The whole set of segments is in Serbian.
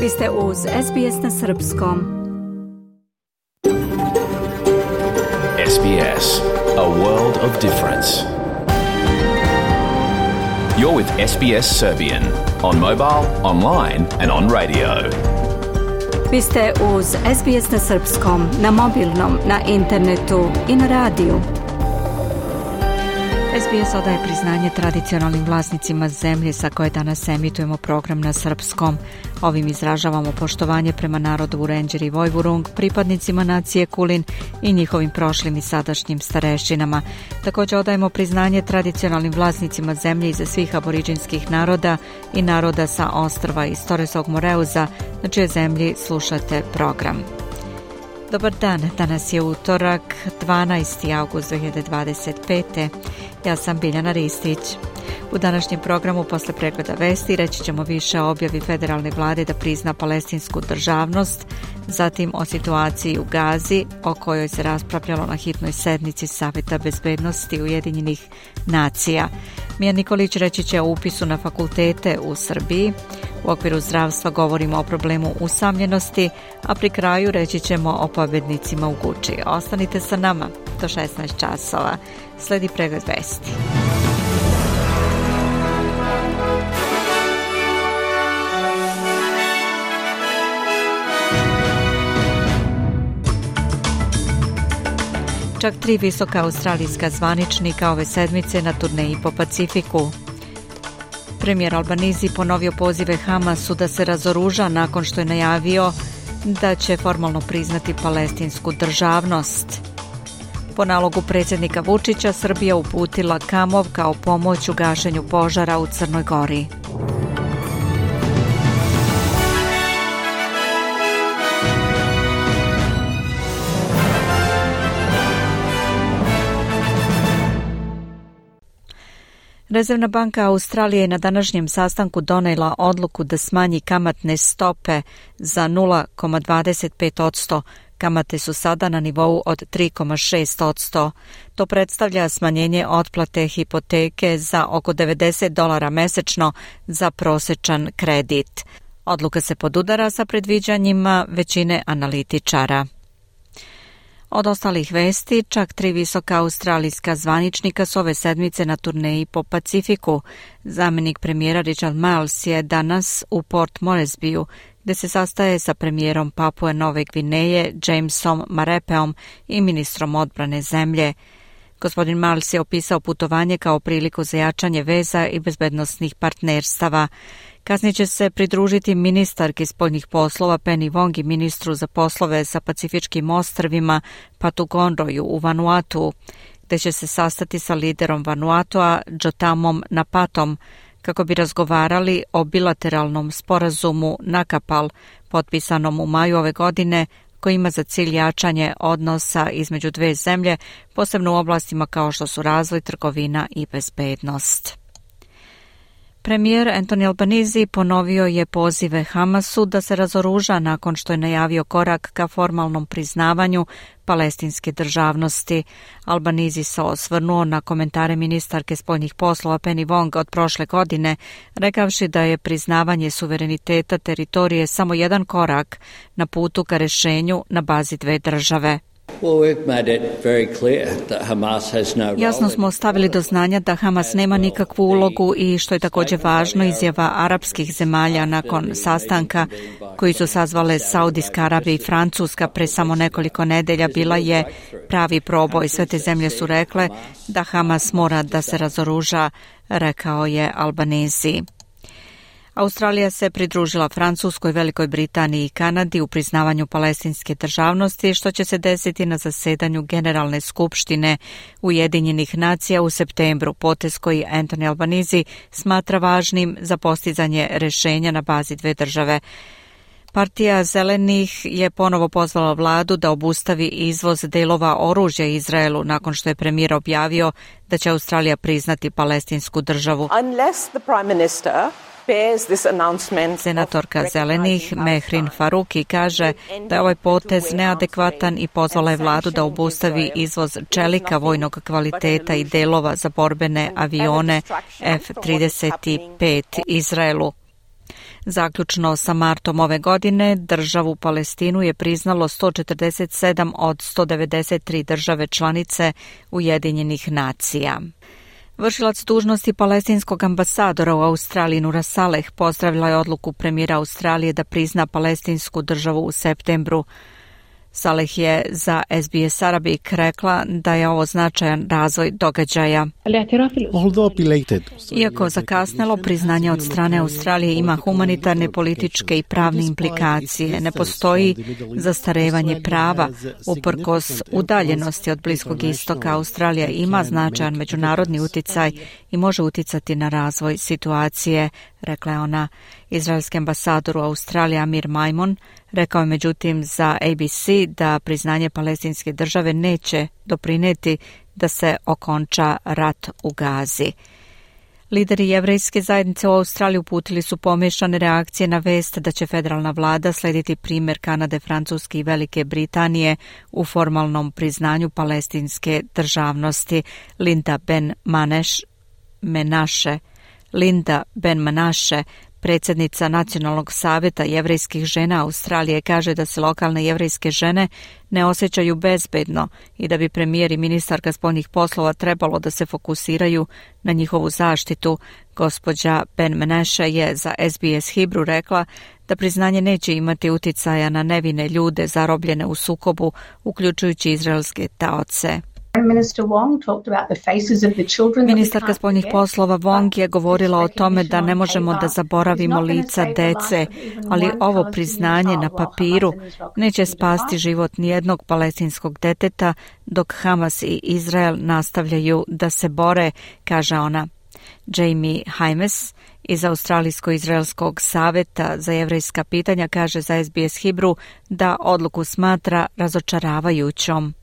Vi ste uz SBS na srpskom. SBS, a world of difference. You're with SBS Serbian on mobile, online and on radio. Vi ste uz SBS na srpskom, na mobilnom, na internetu i na radiju. SBS odaje priznanje tradicionalnim vlasnicima zemlje sa koje danas emitujemo program na srpskom. Ovim izražavamo poštovanje prema narodu Vurenđer i Vojvurung, pripadnicima nacije Kulin i njihovim prošlim i sadašnjim starešinama. Također odajemo priznanje tradicionalnim vlasnicima zemlje iza svih aboriđinskih naroda i naroda sa ostrva iz Torresog Moreuza, na čijoj zemlji slušate program. Dobar dan, danas je utorak, 12. august 2025. Ja sam Biljana Ristić. U današnjem programu posle pregleda vesti reći ćemo više o objavi federalne vlade da prizna palestinsku državnost, zatim o situaciji u Gazi, o kojoj se raspravljalo na hitnoj sednici Saveta bezbednosti Ujedinjenih nacija. Mija Nikolić reći će o upisu na fakultete u Srbiji. U okviru zdravstva govorimo o problemu usamljenosti, a pri kraju reći ćemo o pobednicima u Guči. Ostanite sa nama do 16 časova. Sledi pregled vesti. Čak 3 visoka australijska zvaničnika ove sedmice na turneji po Pacifiku. Premijer Albanizi ponovio pozive Hamasu da se razoruža nakon što je najavio da će formalno priznati palestinsku državnost. Po nalogu predsjednika Vučića, Srbija uputila Kamov kao pomoć u gašenju požara u Crnoj Gori. Rezervna banka Australije je na današnjem sastanku donijela odluku da smanji kamatne stope za 0,25%. Kamate su sada na nivou od 3,6%. To predstavlja smanjenje otplate hipoteke za oko $90 mesečno za prosječan kredit. Odluka se podudara sa predviđanjima većine analitičara. Od ostalih vesti, čak 3 visoka australijska zvaničnika su ove sedmice na turneji po Pacifiku. Zamjenik premijera Richard Marles je danas u Port Moresbyu, gdje se sastaje sa premijerom Papue Nove Gvineje Jamesom Marapeom i ministrom odbrane zemlje. Gospodin Marles je opisao putovanje kao priliku za jačanje veza i bezbednosnih partnerstava. Kasnije će se pridružiti ministarki spoljnih poslova Penny Wong i ministru za poslove sa Pacifičkim ostrvima Patu Conroyu u Vanuatu, gdje će se sastati sa liderom Vanuatua Jotamom Napatom kako bi razgovarali o bilateralnom sporazumu Nakapal, potpisanom u maju ove godine, koji ima za cilj jačanje odnosa između dve zemlje, posebno u oblastima kao što su razvoj, trgovina i bezbednost. Premijer Anthony Albanese ponovio je pozive Hamasu da se razoruža nakon što je najavio korak ka formalnom priznavanju palestinske državnosti. Albanese se osvrnuo na komentare ministarke spoljnih poslova Penny Wong od prošle godine, rekavši da je priznavanje suvereniteta teritorije samo jedan korak na putu ka rešenju na bazi dve države. Jasno smo stavili do znanja da Hamas nema nikakvu ulogu i, što je također važno, izjava arapskih zemalja nakon sastanka koji su sazvale Saudijska Arabija i Francuska pre samo nekoliko nedelja bila je pravi proboj. Sve te zemlje su rekle da Hamas mora da se razoruža, rekao je Albanese. Australija se pridružila Francuskoj, Velikoj Britaniji i Kanadi u priznavanju palestinske državnosti, što će se desiti na zasedanju Generalne skupštine Ujedinjenih nacija u septembru, potez koji Anthony Albanese smatra važnim za postizanje rešenja na bazi dve države. Partija Zelenih je ponovo pozvala vladu da obustavi izvoz delova oružja Izraelu nakon što je premijer objavio da će Australija priznati palestinsku državu. Senatorka Zelenih Mehrin Faruki kaže da je ovaj potez neadekvatan i pozvala je vladu da obustavi izvoz čelika vojnog kvaliteta i delova za borbene avione F-35 Izraelu. Zaključno sa martom ove godine, državu Palestinu je priznalo 147 od 193 države članice Ujedinjenih nacija. Vršilac dužnosti palestinskog ambasadora u Australiji Nura Saleh pozdravila je odluku premijera Australije da prizna palestinsku državu u septembru. Saleh je za SBS Arabic rekla da je ovo značajan razvoj događaja. Iako zakasnelo, priznanje od strane Australije ima humanitarne, političke i pravne implikacije. Ne postoji zastarevanje prava. Uprkos udaljenosti od Bliskog istoka, Australija ima značajan međunarodni uticaj i može uticati na razvoj situacije, rekla je ona. Izraelski ambasador u Australiji Amir Maimon rekao je međutim za ABC da priznanje palestinske države neće doprinijeti da se okonča rat u Gazi. Lideri jevrejske zajednice u Australiji uputili su pomiješane reakcije na vest da će federalna vlada slijediti primjer Kanade, Francuske i Velike Britanije u formalnom priznanju palestinske državnosti. Linda Ben Menashe, predsjednica Nacionalnog savjeta jevrejskih žena Australije, kaže da se lokalne jevrejske žene ne osjećaju bezbedno i da bi premijer i ministarka spoljnih poslova trebalo da se fokusiraju na njihovu zaštitu. Gospođa Ben Menashe je za SBS Hebrew rekla da priznanje neće imati uticaja na nevine ljude zarobljene u sukobu, uključujući izraelske taoce. Ministarka spoljnih poslova Wong je govorila o tome da ne možemo da zaboravimo lica dece, ali ovo priznanje na papiru neće spasti život nijednog palestinskog deteta dok Hamas i Izrael nastavljaju da se bore, kaže ona. Jamie Hymes iz Australijsko-izraelskog savjeta za jevrejska pitanja kaže za SBS Hebrew da odluku smatra razočaravajućom.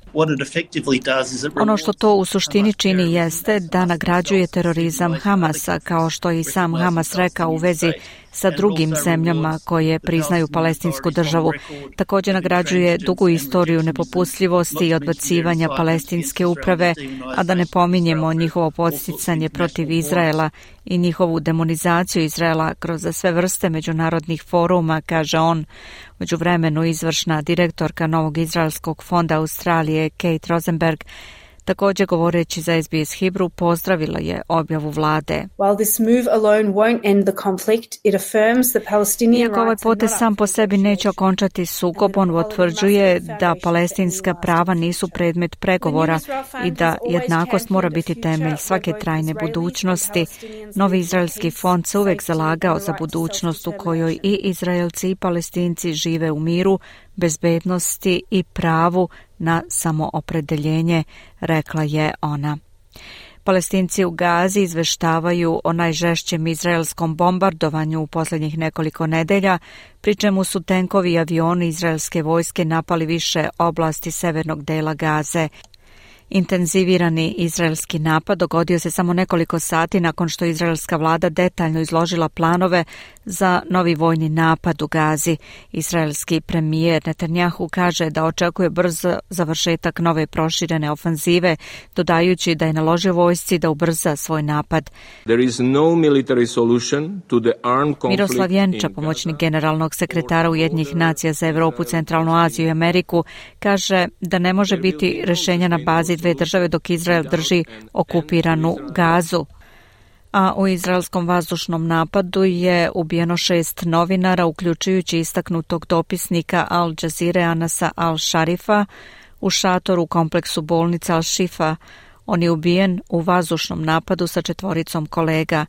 Ono što to u suštini čini jeste da nagrađuje terorizam Hamasa, kao što i sam Hamas rekao u vezi sa drugim zemljama koje priznaju palestinsku državu. Također nagrađuje dugu istoriju nepopustljivosti i odbacivanja palestinske uprave, a da ne pominjemo njihovo podsticanje protiv Izraela i njihovu demonizaciju Izraela kroz sve vrste međunarodnih foruma, kaže on. Međuvremenu izvršna direktorka Novog izraelskog fonda Australije Kate Rosenberg, također govoreći za SBS Hebrew, pozdravila je objavu vlade. Iako ovaj potez sam po sebi neće okončati sukob, on utvrđuje da palestinska prava nisu predmet pregovora i da jednakost mora biti temelj svake trajne budućnosti. Novi izraelski fond se uvek zalagao za budućnost u kojoj i Izraelci i Palestinci žive u miru, bezbednosti i pravu na samoopredeljenje, rekla je ona. Palestinci u Gazi izveštavaju o najžešćem izraelskom bombardovanju u posljednjih nekoliko nedelja, pri čemu su tenkovi i avioni izraelske vojske napali više oblasti severnog dela Gaze. Intenzivirani izraelski napad dogodio se samo nekoliko sati nakon što izraelska vlada detaljno izložila planove za novi vojni napad u Gazi. Izraelski premijer Netanjahu kaže da očekuje brz završetak nove proširene ofanzive, dodajući da je naložio vojsci da ubrza svoj napad. Miroslav Jenča, pomoćnik generalnog sekretara Ujedinjenih nacija za Europu, Centralnu Aziju i Ameriku, kaže da ne može biti rješenja na bazi dve države dok Izrael drži okupiranu Gazu. A u izraelskom vazdušnom napadu je ubijeno 6 novinara, uključujući istaknutog dopisnika Al Jazeere Anasa Al-Sharifa u šatoru u kompleksu bolnica Al-Shifa. On je ubijen u vazdušnom napadu sa 4 kolega.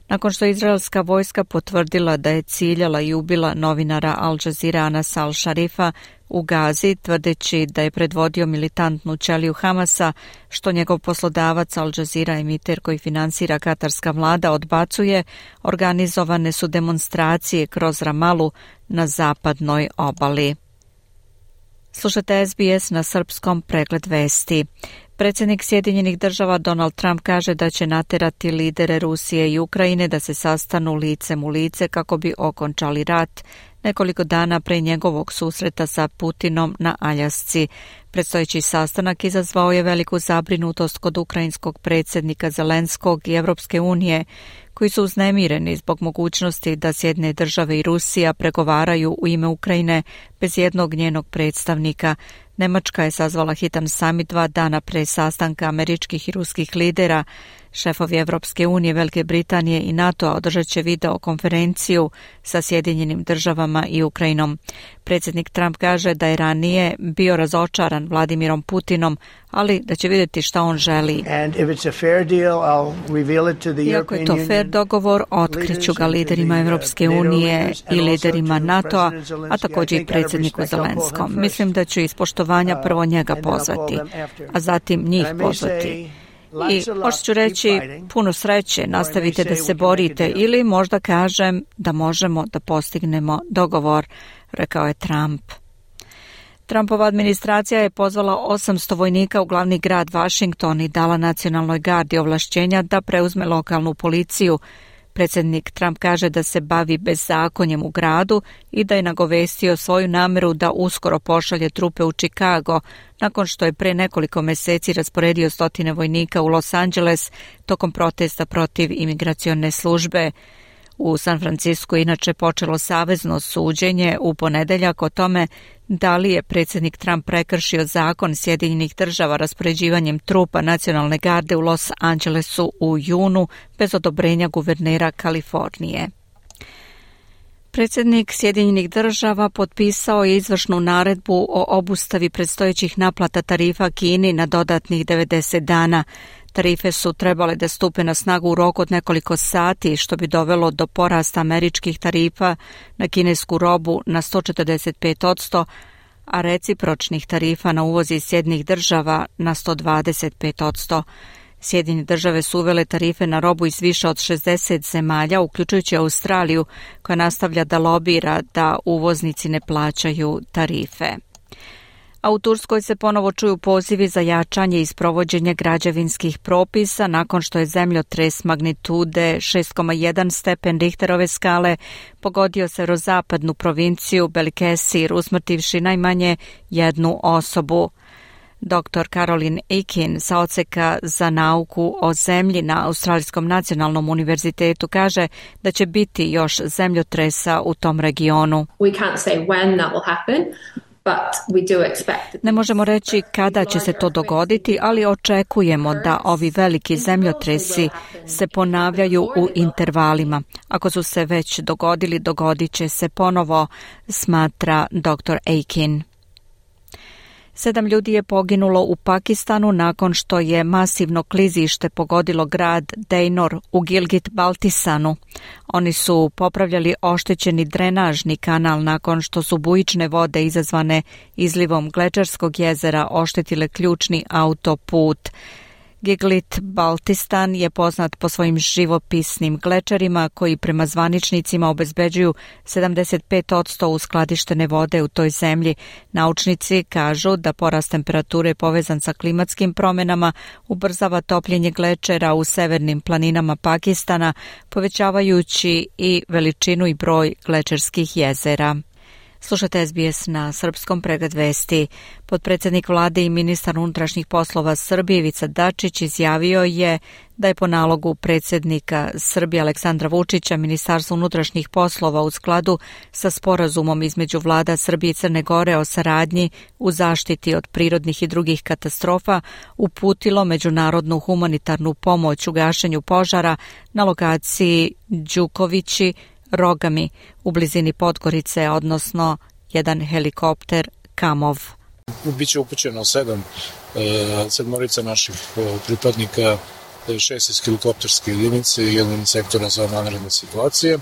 Nakon što izraelska vojska potvrdila da je ciljala i ubila novinara Al Jazeere Anasa Al-Sharifa u Gazi, tvrdeći da je predvodio militantnu ćeliju Hamasa, što njegov poslodavac Al Jazeera, emiter koji finansira katarska vlada, odbacuje, organizovane su demonstracije kroz Ramalu na zapadnoj obali. Slušate SBS na srpskom, pregled vesti. Predsjednik Sjedinjenih država Donald Trump kaže da će naterati lidere Rusije i Ukrajine da se sastanu licem u lice kako bi okončali rat, nekoliko dana pre njegovog susreta sa Putinom na Aljasci. Predstojeći sastanak izazvao je veliku zabrinutost kod ukrajinskog predsjednika Zelenskog i Evropske unije, koji su uznemireni zbog mogućnosti da Sjedinjene države i Rusija pregovaraju u ime Ukrajine bez jednog njenog predstavnika. Nemačka je sazvala hitan samit 2 dana pre sastanka američkih i ruskih lidera. Šefovi Evropske unije, Velike Britanije i NATO-a održat će video konferenciju sa Sjedinjenim državama i Ukrajinom. Predsjednik Trump kaže da je ranije bio razočaran Vladimirom Putinom, ali da će vidjeti šta on želi. Iako je to fair dogovor, otkriću ga liderima Evropske unije i liderima NATO-a, a također i predsjedniku Zelenskom. Mislim da ću iz poštovanja prvo njega pozvati, a zatim njih pozvati. I možda ću reći puno sreće, nastavite da se borite ili možda kažem da možemo da postignemo dogovor, rekao je Trump. Trumpova administracija je pozvala 800 vojnika u glavni grad Washington i dala nacionalnoj gardi ovlašćenja da preuzme lokalnu policiju. Predsjednik Trump kaže da se bavi bezakonjem u gradu i da je nagovestio svoju namjeru da uskoro pošalje trupe u Chicago, nakon što je pre nekoliko mjeseci rasporedio 100 vojnika u Los Angeles tokom protesta protiv imigracione službe. U San Francisku inače počelo savezno suđenje u ponedeljak o tome da li je predsjednik Trump prekršio zakon Sjedinjenih država raspoređivanjem trupa nacionalne garde u Los Angelesu u junu bez odobrenja guvernera Kalifornije. Predsjednik Sjedinjenih država potpisao je izvršnu naredbu o obustavi predstojećih naplata tarifa Kini na dodatnih 90 dana. Tarife su trebale da stupe na snagu u roku od nekoliko sati, što bi dovelo do porasta američkih tarifa na kinesku robu na 145%, a recipročnih tarifa na uvoz iz Sjedinjenih država na 125%. Sjedinjene države su uvele tarife na robu iz više od 60 zemalja, uključujući Australiju, koja nastavlja da lobira da uvoznici ne plaćaju tarife. A u Turskoj se ponovo čuju pozivi za jačanje i sprovođenje građevinskih propisa nakon što je zemljotres magnitude 6,1 stepen Richterove skale pogodio severozapadnu provinciju Balıkesir, usmrtivši najmanje jednu osobu. Dr. Caroline Ekin sa odseka za nauku o zemlji na Australijskom nacionalnom univerzitetu kaže da će biti još zemljotresa u tom regionu. We can't say when that will happen. Ne možemo reći kada će se to dogoditi, ali očekujemo da ovi veliki zemljotresi se ponavljaju u intervalima. Ako su se već dogodili, dogodit će se ponovo, smatra dr. Aikin. 7 ljudi je poginulo u Pakistanu nakon što je masivno klizište pogodilo grad Dejnor u Gilgit-Baltistanu. Oni su popravljali oštećeni drenažni kanal nakon što su bujične vode izazvane izlivom Glečerskog jezera oštetile ključni autoput. Gilgit-Baltistan je poznat po svojim živopisnim glečerima koji prema zvaničnicima obezbeđuju 75% uskladištene vode u toj zemlji. Naučnici kažu da porast temperature povezan sa klimatskim promjenama ubrzava topljenje glečera u severnim planinama Pakistana, povećavajući i veličinu i broj glečerskih jezera. Slušate SBS na srpskom, pregled vesti. Potpredsjednik vlade i ministar unutrašnjih poslova Srbije Ivica Dačić izjavio je da je po nalogu predsjednika Srbije Aleksandra Vučića Ministarstvo unutrašnjih poslova u skladu sa sporazumom između vlada Srbije i Crne Gore o saradnji u zaštiti od prirodnih i drugih katastrofa uputilo međunarodnu humanitarnu pomoć u gašenju požara na lokaciji Đukovići Rogami u blizini Podgorice, odnosno jedan helikopter Kamov. Biće upućeno 7 naših pripadnika, 6 iz helikopterske jedinice i 1 sektora za vanredne situacije.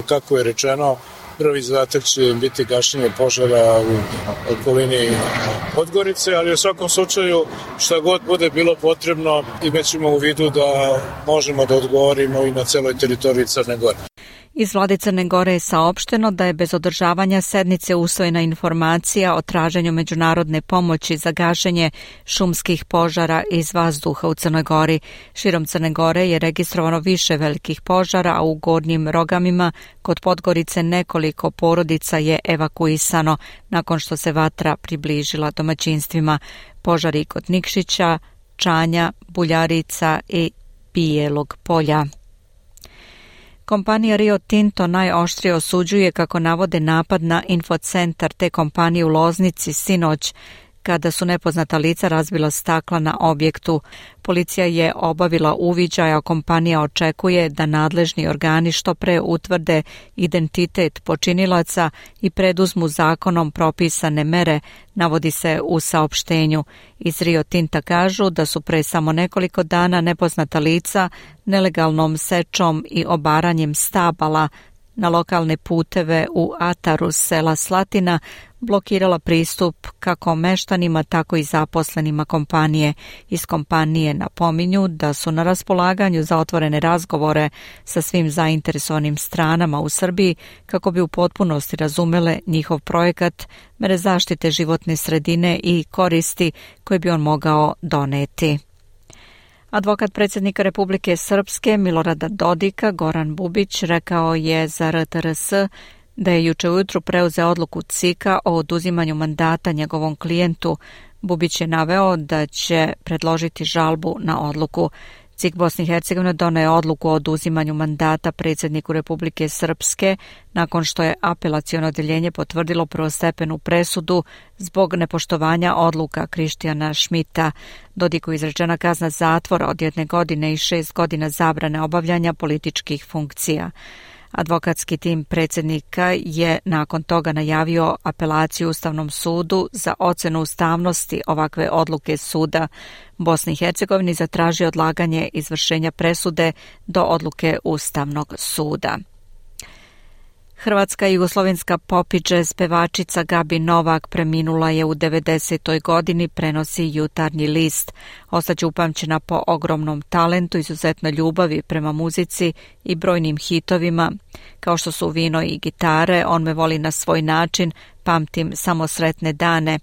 Kako je rečeno, prvi zadatak će biti gašenje požara u okolini Podgorice, ali u svakom slučaju šta god bude bilo potrebno imaćemo u vidu da možemo da odgovorimo i na celoj teritoriji Crne Gore. Iz vlade Crne Gore je saopšteno da je bez održavanja sednice usvojena informacija o traženju međunarodne pomoći za gašenje šumskih požara iz vazduha u Crnoj Gori. Širom Crne Gore je registrovano više velikih požara, a u Gornjim Rogamima kod Podgorice nekoliko porodica je evakuisano nakon što se vatra približila domaćinstvima. Požari kod Nikšića, Čanja, Buljarica i Bijelog Polja. Kompanija Rio Tinto najoštrije osuđuje, kako navode, napad na infocentar te kompanije u Loznici sinoć, kada su nepoznata lica razbila stakla na objektu. Policija je obavila uviđaj, a kompanija očekuje da nadležni organi što pre utvrde identitet počinilaca i preduzmu zakonom propisane mere, navodi se u saopštenju. Iz Rio Tinta kažu da su pre samo nekoliko dana nepoznata lica nelegalnom sečom i obaranjem stabala na lokalne puteve u ataru sela Slatina blokirala pristup kako meštanima, tako i zaposlenima kompanije. Iz kompanije napominju da su na raspolaganju za otvorene razgovore sa svim zainteresovanim stranama u Srbiji kako bi u potpunosti razumele njihov projekat, mere zaštite životne sredine i koristi koje bi on mogao doneti. Advokat predsjednika Republike Srpske Milorada Dodika, Goran Bubić, rekao je za RTRS da je juče ujutru preuzeo odluku CIK-a o oduzimanju mandata njegovom klijentu. Bubić je naveo da će predložiti žalbu na odluku. CIK Bosne i Hercegovine doneo je odluku o oduzimanju mandata predsjedniku Republike Srpske nakon što je apelaciono odjeljenje potvrdilo prvostepenu presudu zbog nepoštovanja odluka Krištijana Šmita. Dodiku izrečena kazna zatvora od 1 godine i 6 godina zabrane obavljanja političkih funkcija. Advokatski tim predsjednika je nakon toga najavio apelaciju Ustavnom sudu za ocenu ustavnosti ovakve odluke suda. Bosni i Hercegovini zatražio odlaganje izvršenja presude do odluke Ustavnog suda. Hrvatska i jugoslovenska pop i džez pevačica Gabi Novak preminula je u 90. godini, prenosi Jutarnji list. Ostaće upamćena po ogromnom talentu, izuzetnoj ljubavi prema muzici i brojnim hitovima, kao što su Vino i gitare, On me voli na svoj način, Pamtim samo sretne dane.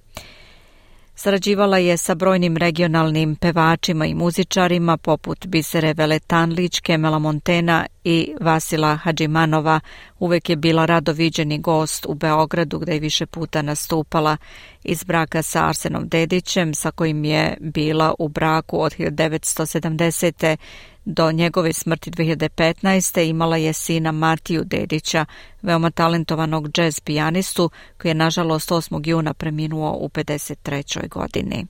Sarađivala je sa brojnim regionalnim pevačima i muzičarima poput Bisere Veletanlić, Kemela Montena i Vasila Hadžimanova. Uvek je bila rado viđeni gost u Beogradu, gde je više puta nastupala. Iz braka sa Arsenom Dedićem, sa kojim je bila u braku od 1970. do njegove smrti 2015. imala je sina Matiju Dedića, veoma talentovanog džez pijanistu, koji je nažalost 8. juna preminuo u 53. godini.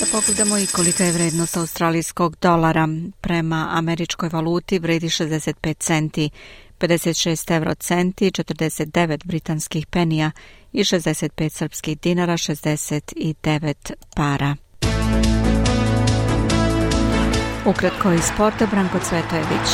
Da pogledamo i kolika je vrednost australijskog dolara. Prema američkoj valuti vredi 65 centi, 56 eurocenti, 49 britanskih penija i 65 srpskih dinara, 69 para. Ukratko iz sporta, Branko Cvetojević.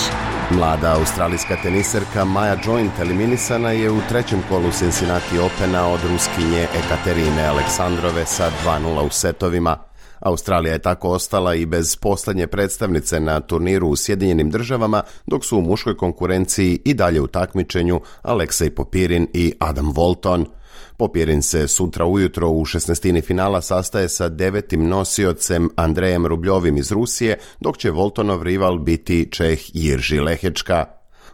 Mlada australijska teniserka Maja Joint eliminisana je u trećem kolu Cincinnati Opena od Ruskinje Ekaterine Aleksandrove sa 2:0 u setovima. Australija je tako ostala i bez poslednje predstavnice na turniru u Sjedinjenim Državama, dok su u muškoj konkurenciji i dalje u takmičenju Aleksej Popirin i Adam Walton. Popirin se sutra ujutro u 16. finala sastaje sa 9. nosiocem Andrejem Rubljovim iz Rusije, dok će Waltonov rival biti Čeh Jirži Lehečka.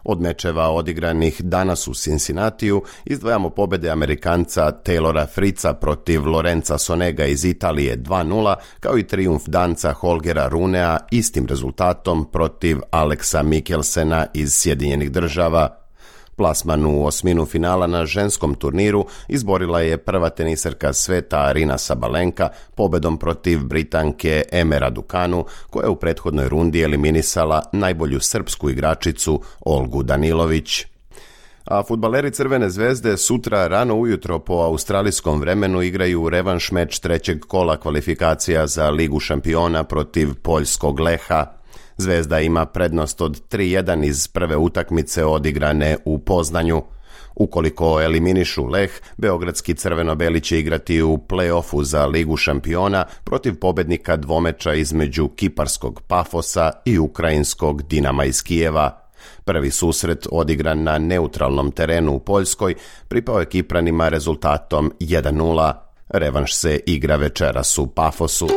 Od mečeva odigranih danas u Cincinnatiju izdvajamo pobede Amerikanca Taylora Fritza protiv Lorenza Sonega iz Italije 2:0, kao i trijumf danca Holgera Runea istim rezultatom protiv Alexa Mikkelsena iz Sjedinjenih Država. Plasman u osminu finala na ženskom turniru izborila je prva teniserka sveta Arina Sabalenka pobedom protiv Britanke Eme Raducanu, koja je u prethodnoj rundi eliminisala najbolju srpsku igračicu Olgu Danilović. A fudbaleri Crvene zvezde sutra rano ujutro po australijskom vremenu igraju revanš meč trećeg kola kvalifikacija za Ligu šampiona protiv poljskog Leha. Zvezda ima prednost od 3:1 iz prve utakmice odigrane u Poznanju. Ukoliko eliminišu Leh, beogradski crveno-beli će igrati u play-offu za Ligu šampiona protiv pobednika dvomeča između kiparskog Pafosa i ukrajinskog Dinama iz Kijeva. Prvi susret odigran na neutralnom terenu u Poljskoj pripao je Kipranima rezultatom 1:0. Revanš se igra večeras u Pafosu.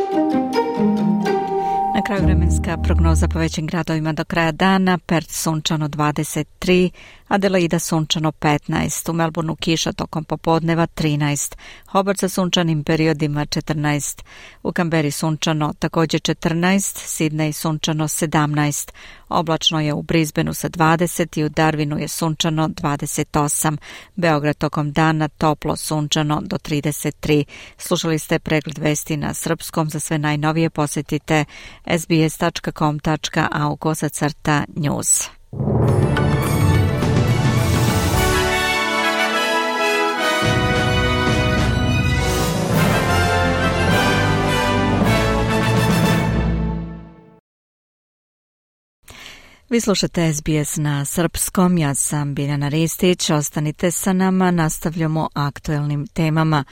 Na kraju vremenska prognoza po većim gradovima do kraja dana: Perth sunčano 23, Adelaida sunčano 15, u Melbourneu kiša tokom popodneva 13, Hobart sa sunčanim periodima 14, u Kamberi sunčano također 14, Sidney sunčano 17, oblačno je u Brisbaneu sa 20 i u Darwinu je sunčano 28, Beograd tokom dana toplo sunčano do 33. Slušali ste pregled vesti na srpskom, za sve najnovije posjetite sbs.com.au/news. Vi slušate SBS na srpskom, ja sam Biljana Ristić, ostanite sa nama, nastavljamo aktuelnim temama.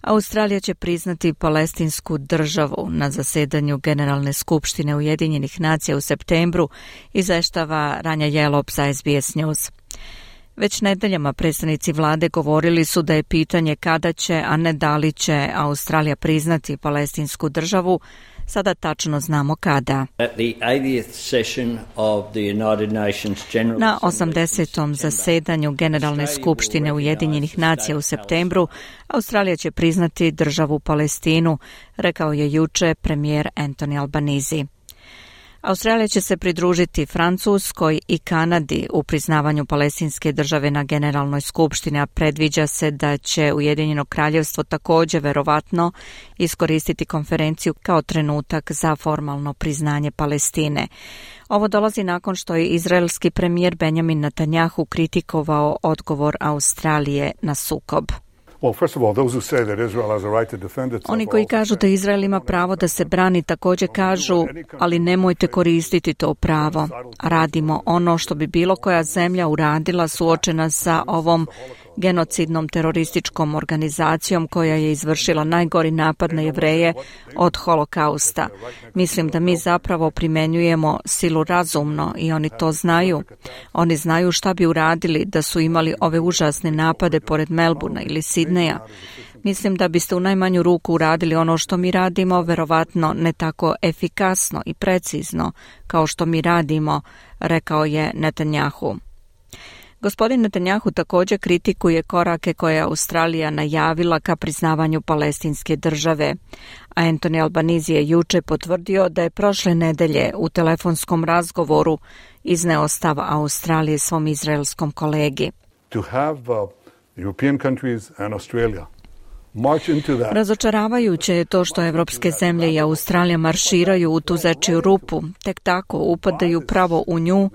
Australija će priznati palestinsku državu na zasedanju Generalne skupštine Ujedinjenih nacija u septembru, izveštava Ranja Jelop za SBS News. Već nedeljama predstavnici vlade govorili su da je pitanje kada će, a ne da li će Australija priznati palestinsku državu. Sada tačno znamo kada. Na 80. zasedanju Generalne skupštine Ujedinjenih nacija u septembru Australija će priznati državu Palestinu, rekao je juče premijer Anthony Albanese. Australija će se pridružiti Francuskoj i Kanadi u priznavanju palestinske države na Generalnoj skupštini, a predviđa se da će Ujedinjeno kraljevstvo također verovatno iskoristiti konferenciju kao trenutak za formalno priznanje Palestine. Ovo dolazi nakon što je izraelski premijer Benjamin Netanjahu kritikovao odgovor Australije na sukob. Oni koji kažu da Izrael ima pravo da se brani također kažu, ali nemojte koristiti to pravo. Radimo ono što bi bilo koja zemlja uradila suočena sa ovom genocidnom terorističkom organizacijom koja je izvršila najgori napad na Jevreje od holokausta. Mislim da mi zapravo primjenjujemo silu razumno i oni to znaju. Oni znaju šta bi uradili da su imali ove užasne napade pored Melbournea ili Sidneja. Mislim da biste u najmanju ruku uradili ono što mi radimo, verovatno ne tako efikasno i precizno kao što mi radimo, rekao je Netanjahu. Gospodin Netanjahu također kritikuje korake koje je Australija najavila ka priznavanju palestinske države. A Anthony Albanese je juče potvrdio da je prošle nedelje u telefonskom razgovoru izneo stav Australije svom izraelskom kolegi. To have European countries and Australia Razočaravajuće je to što evropske zemlje i Australija marširaju u tu zečiju rupu, tek tako upadaju pravo u nju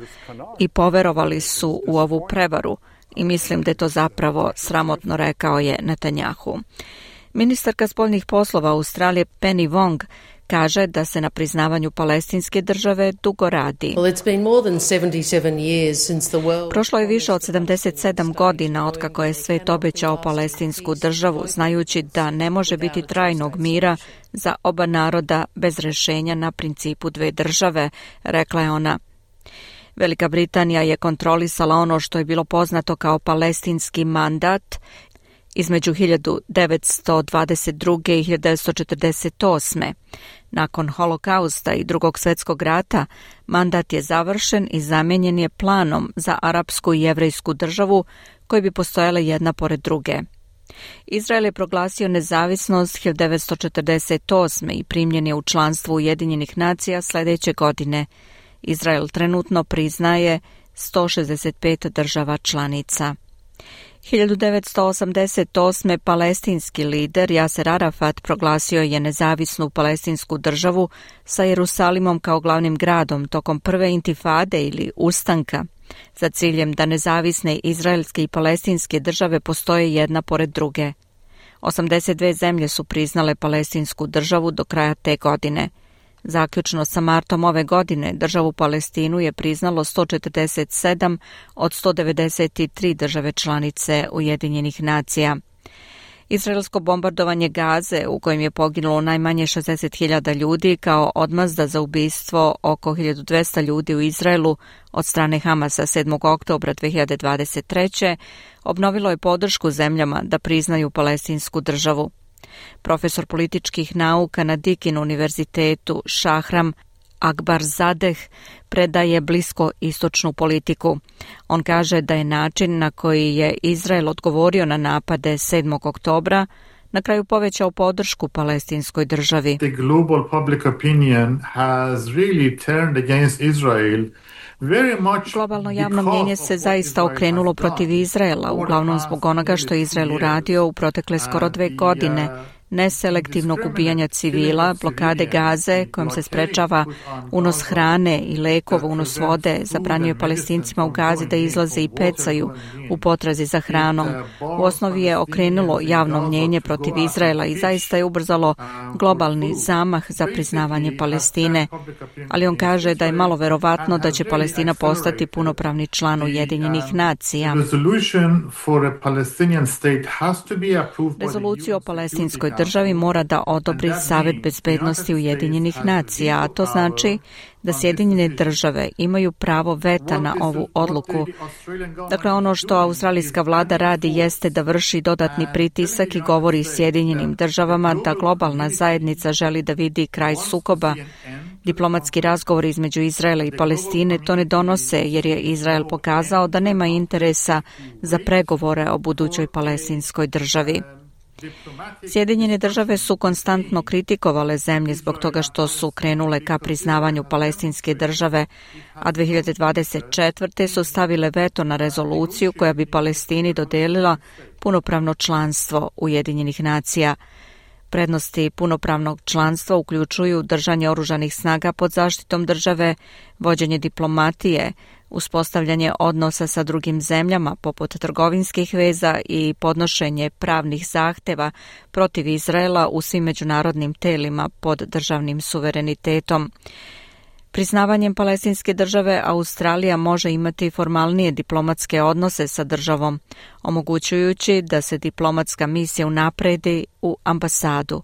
i poverovali su u ovu prevaru i mislim da je to zapravo sramotno, rekao je Netanjahu. Ministarka spoljnih poslova Australije Penny Wong kaže da se na priznavanju palestinske države dugo radi. Prošlo je više od 77 godina otkako je svet obećao palestinsku državu, znajući da ne može biti trajnog mira za oba naroda bez rješenja na principu dve države, rekla je ona. Velika Britanija je kontrolisala ono što je bilo poznato kao palestinski mandat između 1922. i 1948. Nakon holokausta i Drugog svjetskog rata, mandat je završen i zamijenjen je planom za arapsku i jevrejsku državu koje bi postojale jedna pored druge. Izrael je proglasio nezavisnost 1948. i primljen je u članstvo Ujedinjenih nacija sljedeće godine. Izrael trenutno priznaje 165 država članica. 1988. palestinski lider Jaser Arafat proglasio je nezavisnu palestinsku državu sa Jerusalimom kao glavnim gradom tokom prve intifade ili ustanka, za ciljem da nezavisne izraelske i palestinske države postoje jedna pored druge. 82 zemlje su priznale palestinsku državu do kraja te godine. Zaključno sa martom ove godine državu Palestinu je priznalo 147 od 193 države članice Ujedinjenih nacija. Izraelsko bombardovanje Gaze, u kojem je poginulo najmanje 60.000 ljudi kao odmazda za ubistvo oko 1200 ljudi u Izraelu od strane Hamasa 7. oktobra 2023. obnovilo je podršku zemljama da priznaju palestinsku državu. Profesor političkih nauka na Deakin univerzitetu Shahram Akbar Zadeh predaje blisko istočnu politiku. On kaže da je način na koji je Izrael odgovorio na napade 7. oktobra na kraju povećao podršku palestinskoj državi. The global public opinion has really turned against Israel. Globalno javno mnjenje se zaista okrenulo protiv Izraela, uglavnom zbog onoga što je Izrael uradio u protekle skoro 2 godine. Neselektivnog ubijanja civila, blokade Gaze kojom se sprečava unos hrane i lekova, unos vode, zabranjuje Palestincima u Gazi da izlaze i pecaju u potrazi za hranom. U osnovi je okrenulo javno mnjenje protiv Izraela i zaista je ubrzalo globalni zamah za priznavanje Palestine. Ali on kaže da je malo verovatno da će Palestina postati punopravni član Ujedinjenih nacija. Rezoluciju o palestinskoj državi mora da odobri Savet bezbednosti Ujedinjenih nacija, a to znači da Sjedinjene države imaju pravo veta na ovu odluku. Dakle, ono što australijska vlada radi jeste da vrši dodatni pritisak i govori Sjedinjenim državama da globalna zajednica želi da vidi kraj sukoba. Diplomatski razgovori između Izraela i Palestine to ne donose jer je Izrael pokazao da nema interesa za pregovore o budućoj palestinskoj državi. Sjedinjene države su konstantno kritikovale zemlje zbog toga što su krenule ka priznavanju palestinske države, a 2024. su stavile veto na rezoluciju koja bi Palestini dodelila punopravno članstvo Ujedinjenih nacija. Prednosti punopravnog članstva uključuju držanje oružanih snaga pod zaštitom države, vođenje diplomatije, uspostavljanje odnosa sa drugim zemljama poput trgovinskih veza i podnošenje pravnih zahteva protiv Izraela u svim međunarodnim telima pod državnim suverenitetom. Priznavanjem palestinske države Australija može imati formalnije diplomatske odnose sa državom, omogućujući da se diplomatska misija unapredi u ambasadu.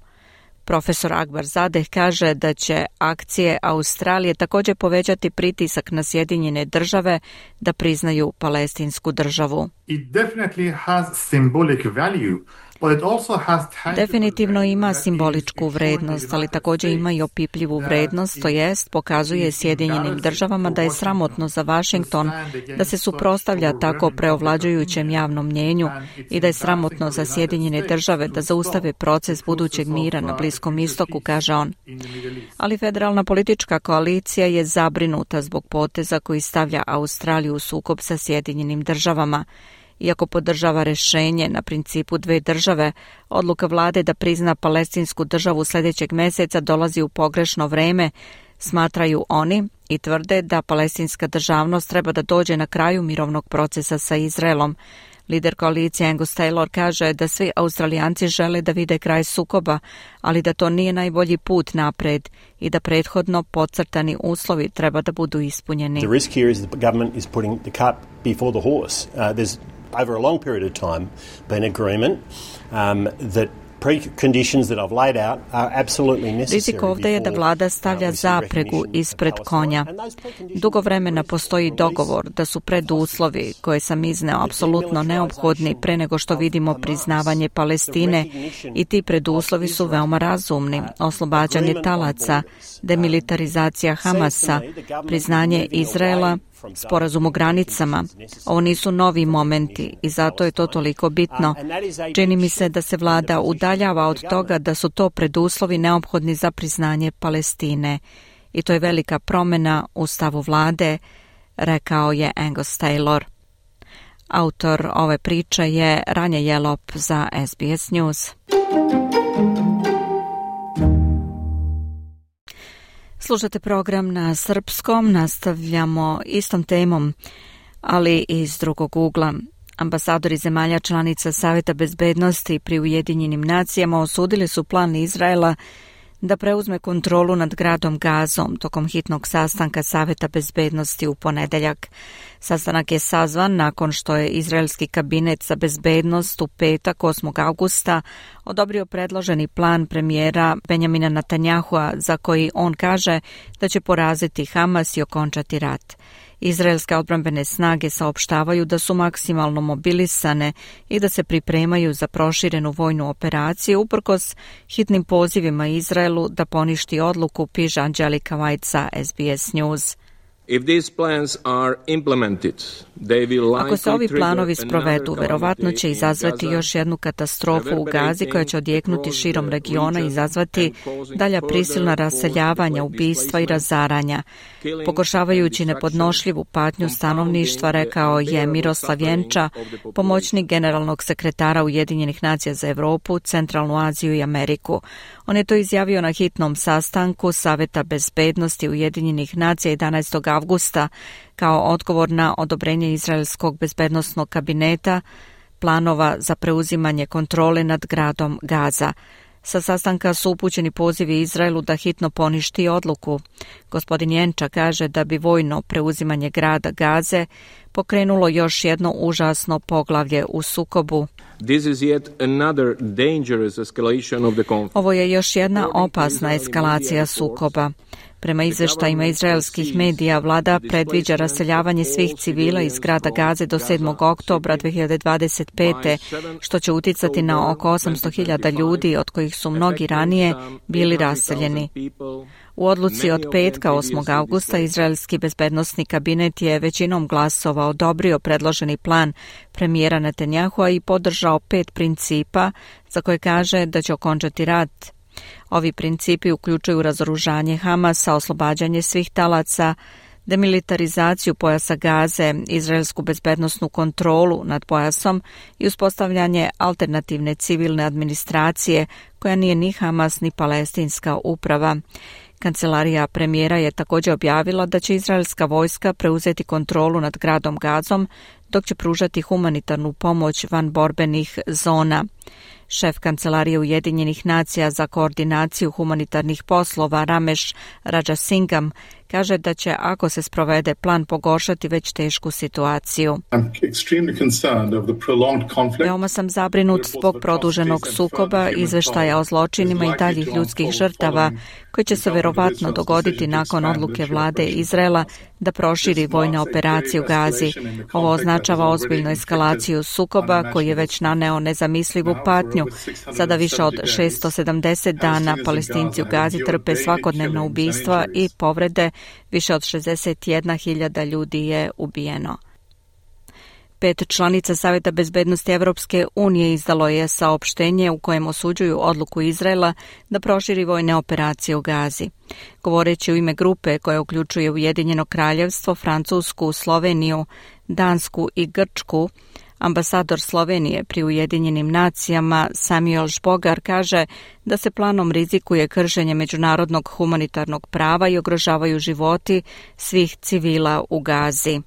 Profesor Akbar Zadeh kaže da će akcije Australije također povećati pritisak na Sjedinjene države da priznaju palestinsku državu. Definitivno ima simboličku vrednost, ali također ima i opipljivu vrednost, to jest pokazuje Sjedinjenim državama da je sramotno za Washington da se suprotstavlja tako preovlađujućem javnom mnjenju i da je sramotno za Sjedinjene države da zaustave proces budućeg mira na Bliskom istoku, kaže on. Ali federalna politička koalicija je zabrinuta zbog poteza koji stavlja Australiju u sukob sa Sjedinjenim državama. Iako podržava rješenje na principu 2 države, odluka vlade da prizna palestinsku državu sljedećeg mjeseca dolazi u pogrešno vrijeme, smatraju oni i tvrde da palestinska državnost treba da dođe na kraju mirovnog procesa sa Izraelom. Lider koalicije Angus Taylor kaže da svi Australijanci žele da vide kraj sukoba, ali da to nije najbolji put napred i da prethodno podcrtani uslovi treba da budu ispunjeni. The risk here is the government is putting the cart before the horse. There's over a long period of time been agreement that preconditions that I've laid out are absolutely necessary. Rizik ovdje je da vlada stavlja zapregu ispred konja. Dugo vremena postoji dogovor da su preduslovi koje sam izneo apsolutno neophodni pre nego što vidimo priznavanje Palestine i ti preduslovi su veoma razumni. Oslobađanje talaca, demilitarizacija Hamasa, priznanje Izraela, sporazum o granicama. Ovo nisu novi momenti i zato je to toliko bitno. Čini mi se da se vlada udaljava od toga da su to preduslovi neophodni za priznanje Palestine. I to je velika promjena u stavu vlade, rekao je Angus Taylor. Autor ove priče je Ranja Jelop za SBS News. Slušate program na srpskom, nastavljamo istom temom, ali iz drugog ugla. Ambasadori zemalja članica Saveta bezbednosti pri Ujedinjenim nacijama osudili su plan Izraela da preuzme kontrolu nad gradom Gazom tokom hitnog sastanka Saveta bezbednosti u ponedeljak. Sastanak je sazvan nakon što je izraelski kabinet za bezbednost u petak 8. augusta odobrio predloženi plan premijera Benjamina Netanjahua za koji on kaže da će poraziti Hamas i okončati rat. Izraelske odbrambene snage saopštavaju da su maksimalno mobilisane i da se pripremaju za proširenu vojnu operaciju uprkos hitnim pozivima Izraelu da poništi odluku, piše Angelika White za SBS News. Ako se ovi planovi sprovedu, verovatno će izazvati još jednu katastrofu u Gazi koja će odjeknuti širom regiona i izazvati dalja prisilna raseljavanja, ubistva i razaranja. Pogoršavajući nepodnošljivu patnju stanovništva, rekao je Miroslav Jenča, pomoćnik generalnog sekretara Ujedinjenih nacija za Evropu, Centralnu Aziju i Ameriku. On je to izjavio na hitnom sastanku Saveta bezbednosti Ujedinjenih nacija 11. avgusta kao odgovor na odobrenje Izraelskog bezbednosnog kabineta planova za preuzimanje kontrole nad gradom Gaza. Sa sastanka su upućeni pozivi Izraelu da hitno poništi odluku. Gospodin Jenča kaže da bi vojno preuzimanje grada Gaze pokrenulo još jedno užasno poglavlje u sukobu. Ovo je još jedna opasna eskalacija sukoba. Prema izveštajima izraelskih medija, vlada predviđa raseljavanje svih civila iz grada Gaze do 7. oktobra 2025. što će uticati na oko 800.000 ljudi, od kojih su mnogi ranije bili raseljeni. U odluci od petka 8. avgusta Izraelski bezbednosni kabinet je većinom glasova odobrio predloženi plan premijera Netanjahua i podržao 5 principa za koje kaže da će okončati rat. Ovi principi uključuju razoružanje Hamasa, oslobađanje svih talaca, demilitarizaciju pojasa Gaze, izraelsku bezbednosnu kontrolu nad pojasom i uspostavljanje alternativne civilne administracije koja nije ni Hamas ni palestinska uprava. Kancelarija premijera je također objavila da će izraelska vojska preuzeti kontrolu nad gradom Gazom, dok će pružati humanitarnu pomoć van borbenih zona. Šef Kancelarije Ujedinjenih nacija za koordinaciju humanitarnih poslova Ramesh Rajasingham kaže da će, ako se sprovede plan, pogoršati već tešku situaciju. Veoma sam zabrinut zbog produženog sukoba, izveštaja o zločinima i daljih ljudskih žrtava koji će se verovatno dogoditi nakon odluke vlade Izraela da proširi vojne operacije u Gazi. Ovo označava ozbiljnu eskalaciju sukoba koji je već naneo nezamislivu patnju. Sada više od 670 dana Palestinci u Gazi trpe svakodnevna ubistva i povrede, više od 61.000 ljudi je ubijeno. 5 članica Saveta bezbednosti Evropske unije izdalo je saopštenje u kojem osuđuju odluku Izraela da proširi vojne operacije u Gazi. Govoreći u ime grupe koja uključuje Ujedinjeno kraljevstvo, Francusku, Sloveniju, Dansku i Grčku, ambasador Slovenije pri Ujedinjenim nacijama Samuel Žbogar kaže da se planom rizikuje kršenje međunarodnog humanitarnog prava i ugrožavaju životi svih civila u Gazi.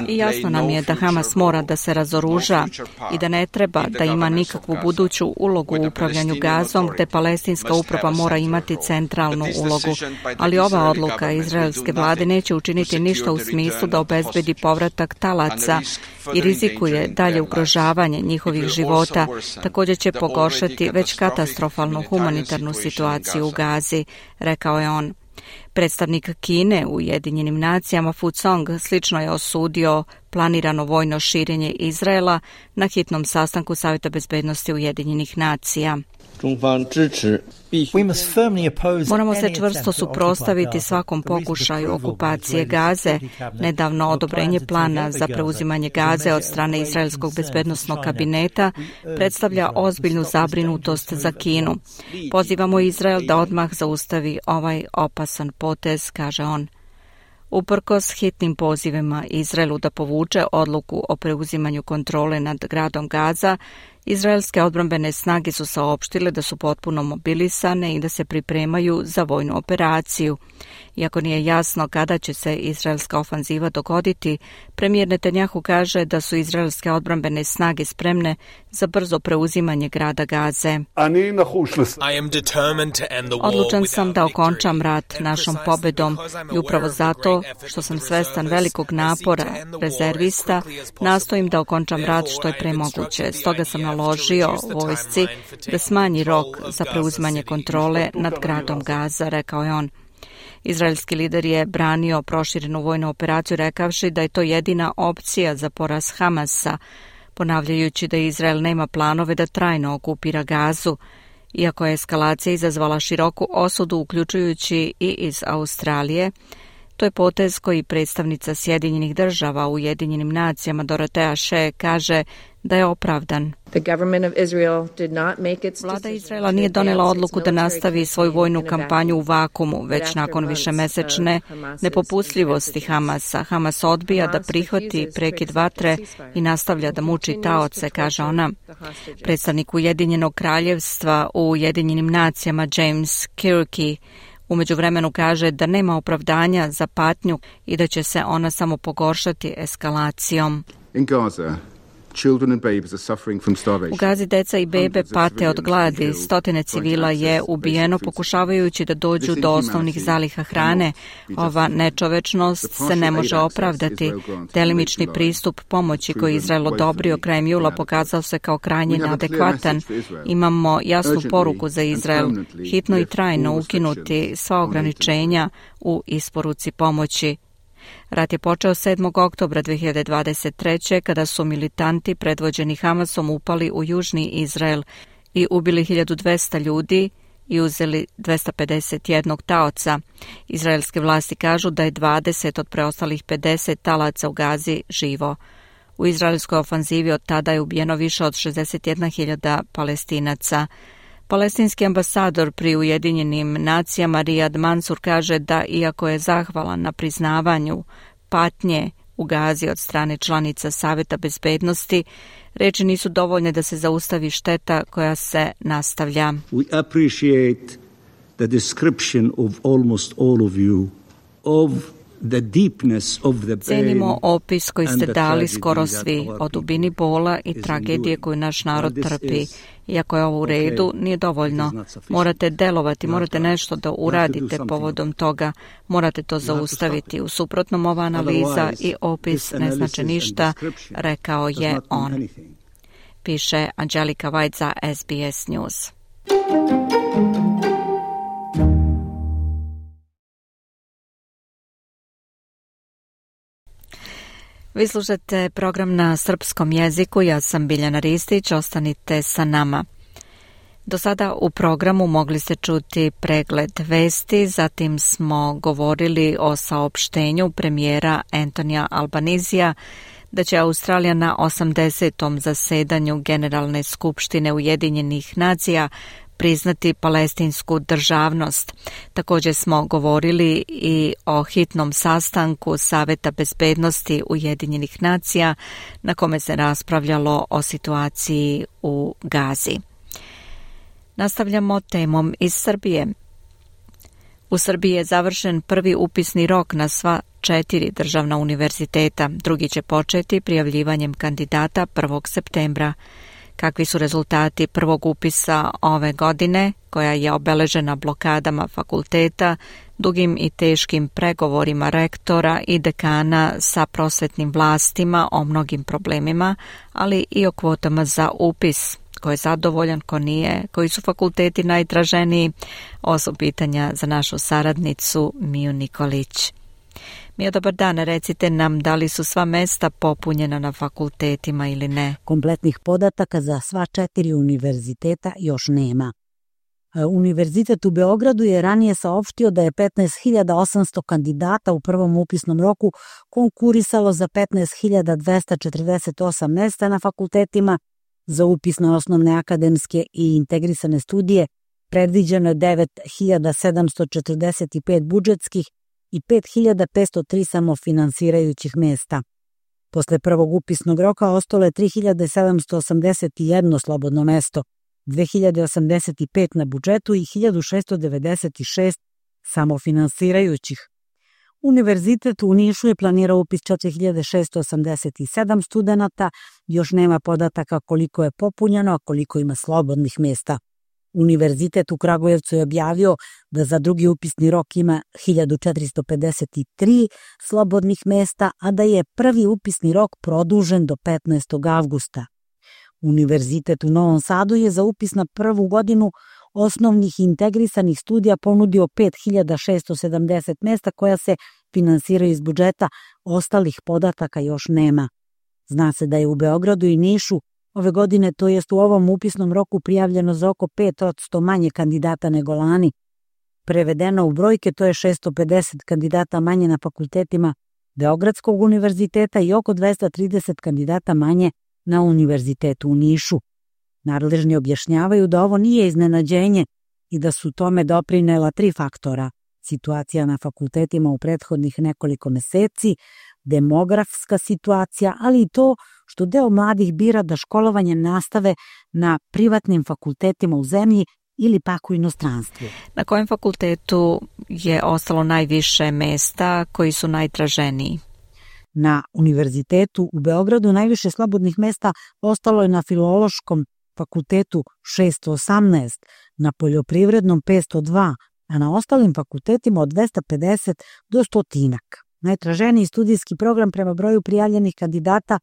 I jasno nam je da Hamas mora da se razoruža i da ne treba da ima nikakvu buduću ulogu u upravljanju Gazom, gde palestinska uprava mora imati centralnu ulogu. Ali ova odluka izraelske vlade neće učiniti ništa u smislu da obezbedi povratak talaca i rizikuje dalje ugrožavanje njihovih života. Također će pogoršati već katastrofalnu humanitarnu situaciju u Gazi, rekao je on. Predstavnik Kine u Ujedinjenim nacijama Fu Song slično je osudio planirano vojno širenje Izraela na hitnom sastanku Savjeta bezbednosti Ujedinjenih nacija. Moramo se čvrsto suprotstaviti svakom pokušaju okupacije Gaze. Nedavno odobrenje plana za preuzimanje Gaze od strane Izraelskog bezbednosnog kabineta predstavlja ozbiljnu zabrinutost za Kinu. Pozivamo Izrael da odmah zaustavi ovaj opasan potez, kaže on. Uprkos hitnim pozivima Izraelu da povuče odluku o preuzimanju kontrole nad gradom Gaza, izraelske odbrambene snage su saopštile da su potpuno mobilisane i da se pripremaju za vojnu operaciju. Iako nije jasno kada će se izraelska ofanziva dogoditi, premijer Netanjahu kaže da su izraelske odbrambene snage spremne za brzo preuzimanje grada Gaze. Odlučan sam da okončam rat našom pobedom i upravo zato što sam svestan velikog napora rezervista, nastojim da okončam rat što je pre moguće. Stoga sam naložio vojsci da smanji rok za preuzimanje kontrole nad gradom Gaza, rekao je on. Izraelski lider je branio proširenu vojnu operaciju rekavši da je to jedina opcija za poraz Hamasa, ponavljajući da Izrael nema planove da trajno okupira Gazu, iako je eskalacija izazvala široku osudu uključujući i iz Australije. To je potez koji predstavnica Sjedinjenih država u Ujedinjenim nacijama Dorotea Shea kaže da je opravdan. Vlada Izraela nije donela odluku da nastavi svoju vojnu kampanju u vakumu, već nakon višemesečne nepopustljivosti Hamasa. Hamas odbija da prihvati prekid vatre i nastavlja da muči taoce, kaže ona. Predstavnik Ujedinjenog kraljevstva u Ujedinjenim nacijama James Kirky u međuvremenu kaže da nema opravdanja za patnju i da će se ona samo pogoršati eskalacijom. U Gazi deca i bebe pate od gladi, stotine civila je ubijeno pokušavajući da dođu do osnovnih zaliha hrane. Ova nečovečnost se ne može opravdati. Delimični pristup pomoći koji Izrael odobrio krajem jula pokazao se kao krajnje neadekvatan. Imamo jasnu poruku za Izrael, hitno i trajno ukinuti sva ograničenja u isporuci pomoći. Rat je počeo 7. oktobra 2023. kada su militanti predvođeni Hamasom upali u južni Izrael i ubili 1200 ljudi i uzeli 251 taoca. Izraelske vlasti kažu da je 20 od preostalih 50 talaca u Gazi živo. U izraelskoj ofanzivi od tada je ubijeno više od 61.000 Palestinaca. Palestinski ambasador pri Ujedinjenim nacijama Riyad Mansour kaže da iako je zahvalan na priznavanju patnje u Gazi od strane članica Saveta bezbednosti, reči nisu dovoljne da se zaustavi šteta koja se nastavlja. We appreciate the description of almost all of you of the deepness of the pain. Cenimo opis koji ste dali skoro svi o dubini bola i tragedije koju naš narod trpi. Iako je ovo u redu, nije dovoljno. Morate delovati, morate nešto da uradite povodom toga, morate to zaustaviti. U suprotnom ova analiza i opis ne znače ništa, rekao je on. Piše Angelika White za SBS News. Vi slušate program na srpskom jeziku, ja sam Biljana Ristić, ostanite sa nama. Do sada u programu mogli ste čuti pregled vesti, zatim smo govorili o saopštenju premijera Antonija Albanizija da će Australija na 80. zasedanju Generalne skupštine Ujedinjenih nacija priznati palestinsku državnost. Također smo govorili i o hitnom sastanku Saveta bezbednosti Ujedinjenih nacija na kome se raspravljalo o situaciji u Gazi. Nastavljamo temom iz Srbije. U Srbiji je završen prvi upisni rok na sva 4 državna univerziteta. Drugi će početi prijavljivanjem kandidata 1. septembra. Kakvi su rezultati prvog upisa ove godine, koja je obeležena blokadama fakulteta, dugim i teškim pregovorima rektora i dekana sa prosvetnim vlastima o mnogim problemima, ali i o kvotama za upis, ko je zadovoljan, ko nije, koji su fakulteti najtraženiji, ovo su pitanja za našu saradnicu Miju Nikolić. Mio, dobar dan, recite nam da li su sva mesta popunjena na fakultetima ili ne? Kompletnih podataka za sva 4 univerziteta još nema. Univerzitet u Beogradu je ranije saopštio da je 15.800 kandidata u prvom upisnom roku konkurisalo za 15.248 mesta na fakultetima. Za upis na osnovne akademske i integrisane studije predviđeno je 9.745 budžetskih i 5.503 samofinansirajućih mesta. Posle prvog upisnog roka ostalo je 3.781 slobodno mesto, 2.085 na budžetu i 1.696 samofinansirajućih. Univerzitet u Nišu je planirao upis 4.687 studenata, još nema podataka koliko je popunjeno, a koliko ima slobodnih mesta. Univerzitet u Kragujevcu je objavio da za drugi upisni rok ima 1453 slobodnih mesta, a da je prvi upisni rok produžen do 15. avgusta. Univerzitet u Novom Sadu je za upis na prvu godinu osnovnih integrisanih studija ponudio 5670 mesta koja se finansiraju iz budžeta, ostalih podataka još nema. Zna se da je u Beogradu i Nišu ove godine, to jest u ovom upisnom roku, prijavljeno za oko 5% manje kandidata nego lani. Prevedeno u brojke, to je 650 kandidata manje na fakultetima Beogradskog univerziteta i oko 230 kandidata manje na univerzitetu u Nišu. Nadležni objašnjavaju da ovo nije iznenađenje i da su tome doprinela 3 faktora. Situacija na fakultetima u prethodnih nekoliko meseci, demografska situacija, ali i to što deo mladih bira da školovanje nastave na privatnim fakultetima u zemlji ili pak u inostranstvu. Na kojem fakultetu je ostalo najviše mesta koji su najtraženiji? Na univerzitetu u Beogradu najviše slobodnih mesta ostalo je na Filološkom fakultetu 618, na Poljoprivrednom 502, a na ostalim fakultetima od 250 do 100. Najtraženiji studijski program prema broju prijavljenih kandidata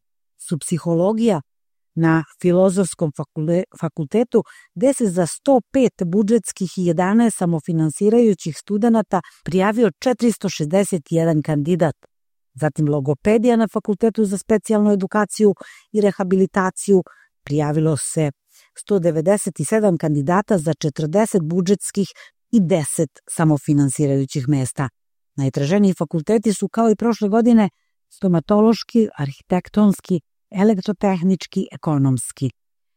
su psihologija na Filozofskom fakultetu, gde se za 105 budžetskih i 11 samofinansirajućih studenata prijavio 461 kandidat. Zatim logopedija na Fakultetu za specijalnu edukaciju i rehabilitaciju prijavilo se 197 kandidata za 40 budžetskih i 10 samofinansirajućih mesta. Najtraženiji fakulteti su kao i prošle godine stomatološki, arhitektonski, elektrotehnički, ekonomski.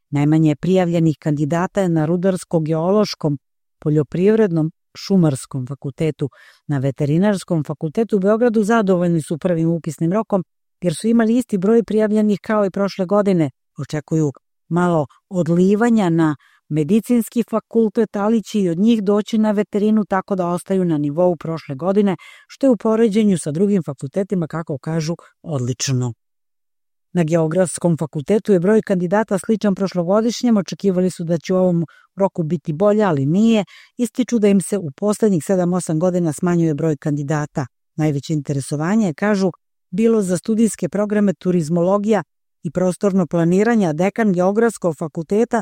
Najmanje prijavljenih kandidata je na Rudarsko-geološkom, Poljoprivrednom, Šumarskom fakultetu. Na Veterinarskom fakultetu u Beogradu zadovoljni su prvim upisnim rokom jer su imali isti broj prijavljenih kao i prošle godine. Očekuju malo odlivanja na medicinski fakultet, ali će i od njih doći na veterinu, tako da ostaju na nivou prošle godine, što je u poređenju sa drugim fakultetima, kako kažu, odlično. Na Geografskom fakultetu je broj kandidata sličan prošlogodišnjem, očekivali su da će u ovom roku biti bolje, ali nije. Ističu da im se u poslednjih 7-8 godina smanjuje broj kandidata. Najveće interesovanje je, kažu, bilo za studijske programe turizmologija i prostorno planiranje, a dekan Geografskog fakulteta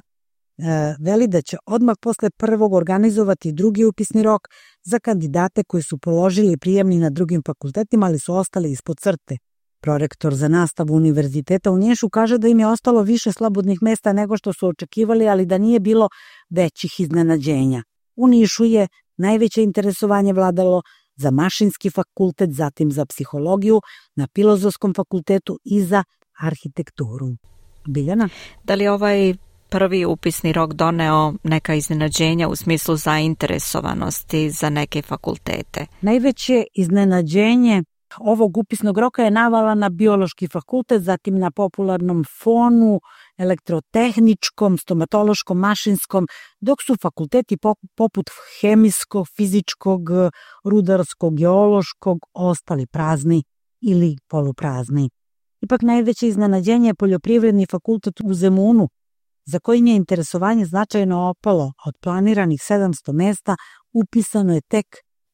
veli da će odmah posle prvog organizovati drugi upisni rok za kandidate koji su položili prijemni na drugim fakultetima, ali su ostali ispod crte. Prorektor za nastavu Univerziteta u Nišu kaže da im je ostalo više slobodnih mesta nego što su očekivali, ali da nije bilo većih iznenađenja. U Nišu je najveće interesovanje vladalo za mašinski fakultet, zatim za psihologiju, na Filozofskom fakultetu i za arhitekturu. Biljana? Da li ovaj prvi upisni rok doneo neka iznenađenja u smislu zainteresovanosti za neke fakultete? Najveće iznenađenje ovog upisnog roka je navala na Biološki fakultet, zatim na popularnom fonu, elektrotehničkom, stomatološkom, mašinskom, dok su fakulteti poput hemijskog, fizičkog, rudarskog, geološkog ostali prazni ili poluprazni. Ipak najveće iznenađenje je Poljoprivredni fakultet u Zemunu, za kojim je interesovanje značajno opalo. Od planiranih 700 mesta upisano je tek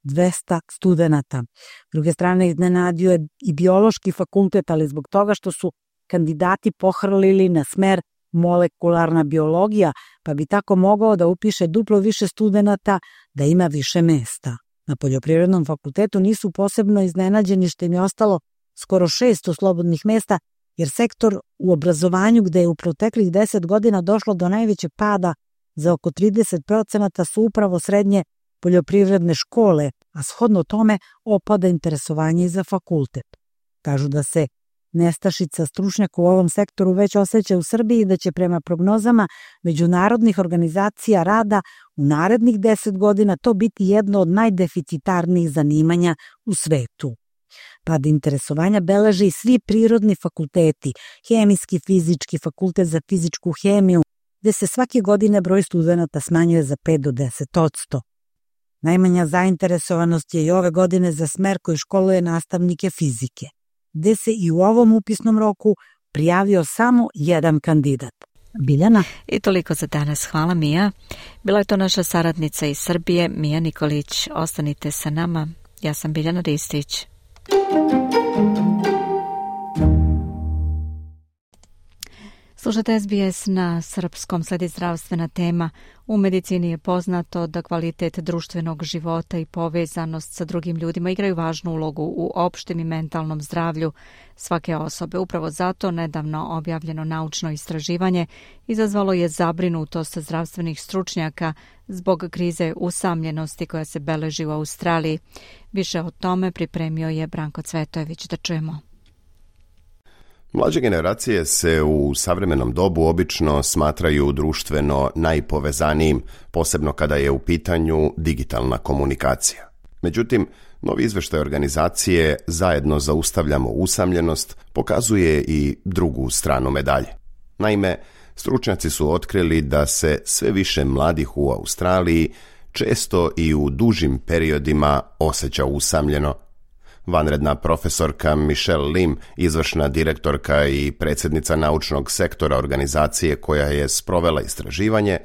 200 studenata. S druge strane, iznenadio je i Biološki fakultet, ali zbog toga što su kandidati pohrlili na smer molekularna biologija, pa bi tako mogao da upiše duplo više studenata, da ima više mesta. Na Poljoprivrednom fakultetu nisu posebno iznenađeni što im je ostalo skoro 600 slobodnih mesta, jer sektor u obrazovanju, gde je u proteklih 10 godina došlo do najvećeg pada za oko 30%, su upravo srednje poljoprivredne škole, a shodno tome opada interesovanje i za fakultet. Kažu da se nestašica stručnjaka u ovom sektoru već osjeća u Srbiji i da će prema prognozama međunarodnih organizacija rada u narednih 10 godina to biti jedno od najdeficitarnijih zanimanja u svetu. Pad interesovanja beleže i svi prirodni fakulteti, hemijski, fizički, fakultet za fizičku hemiju, gde se svake godine broj studenata smanjuje za 5 do 10%. Najmanja zainteresovanost je i ove godine za smer koji školuje nastavnike fizike, gde se i u ovom upisnom roku prijavio samo jedan kandidat. Biljana? I toliko za danas. Hvala, Mija. Bila je to naša saradnica iz Srbije, Mija Nikolić. Ostanite sa nama. Ja sam Biljana Ristić. Slušajte SBS na srpskom, sledi zdravstvena tema. U medicini je poznato da kvalitet društvenog života i povezanost sa drugim ljudima igraju važnu ulogu u opštem i mentalnom zdravlju svake osobe. Upravo zato nedavno objavljeno naučno istraživanje izazvalo je zabrinutost zdravstvenih stručnjaka zbog krize usamljenosti koja se beleži u Australiji. Više o tome pripremio je Branko Cvetojević. Da čujemo. Mlađe generacije se u savremenom dobu obično smatraju društveno najpovezanijim, posebno kada je u pitanju digitalna komunikacija. Međutim, novi izveštaj organizacije Zajedno zaustavljamo usamljenost pokazuje i drugu stranu medalje. Naime, stručnjaci su otkrili da se sve više mladih u Australiji često i u dužim periodima osjeća usamljeno. Vanredna profesorka Michelle Lim, izvršna direktorka i predsjednica naučnog sektora organizacije koja je sprovela istraživanje,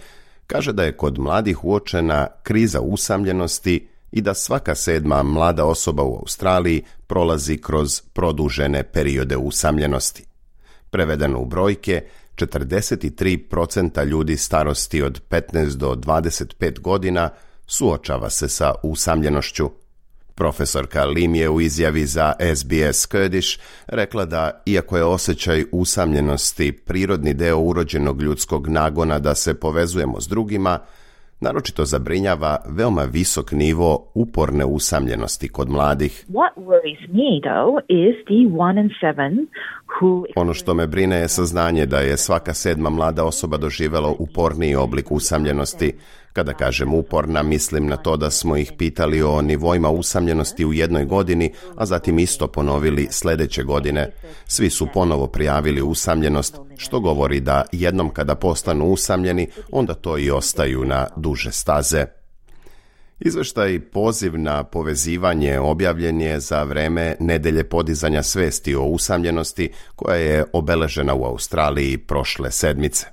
kaže da je kod mladih uočena kriza usamljenosti i da svaka 7. mlada osoba u Australiji prolazi kroz produžene periode usamljenosti. Prevedeno u brojke, 43% ljudi starosti od 15 do 25 godina suočava se sa usamljenošću. Profesorka Lim je u izjavi za SBS Kurdish rekla da, iako je osjećaj usamljenosti prirodni deo urođenog ljudskog nagona da se povezujemo s drugima, naročito zabrinjava veoma visok nivo uporne usamljenosti kod mladih. Ono što me brine je saznanje da je svaka 7. mlada osoba doživjela uporniji oblik usamljenosti. Kada kažem uporna, mislim na to da smo ih pitali o nivoima usamljenosti u jednoj godini, a zatim isto ponovili sljedeće godine. Svi su ponovo prijavili usamljenost, što govori da jednom kada postanu usamljeni, onda to i ostaju na duže staze. Izveštaj Poziv na povezivanje objavljen je za vreme Nedelje podizanja svesti o usamljenosti koja je obeležena u Australiji prošle sedmice.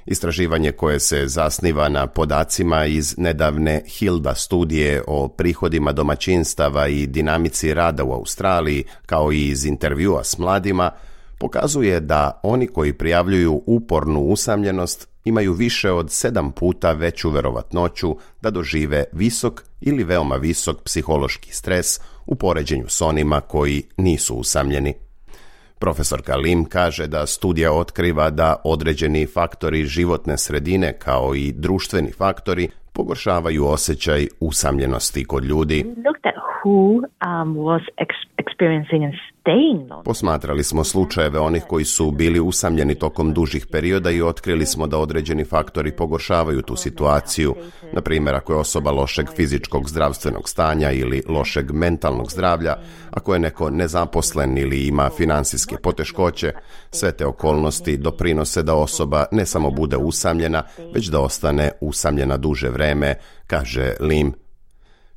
Istraživanje koje se zasniva na podacima iz nedavne Hilda studije o prihodima domaćinstava i dinamici rada u Australiji, kao i iz intervjua s mladima, pokazuje da oni koji prijavljuju upornu usamljenost imaju više od 7 puta veću verovatnoću da dožive visok ili veoma visok psihološki stres u poređenju s onima koji nisu usamljeni. Profesorka Lim kaže da studija otkriva da određeni faktori životne sredine kao i društveni faktori pogoršavaju osjećaj usamljenosti kod ljudi. Posmatrali smo slučajeve onih koji su bili usamljeni tokom dužih perioda i otkrili smo da određeni faktori pogoršavaju tu situaciju. Na primjer, ako je osoba lošeg fizičkog zdravstvenog stanja ili lošeg mentalnog zdravlja, ako je neko nezaposlen ili ima financijske poteškoće, sve te okolnosti doprinose da osoba ne samo bude usamljena, već da ostane usamljena duže vreme, kaže Lim.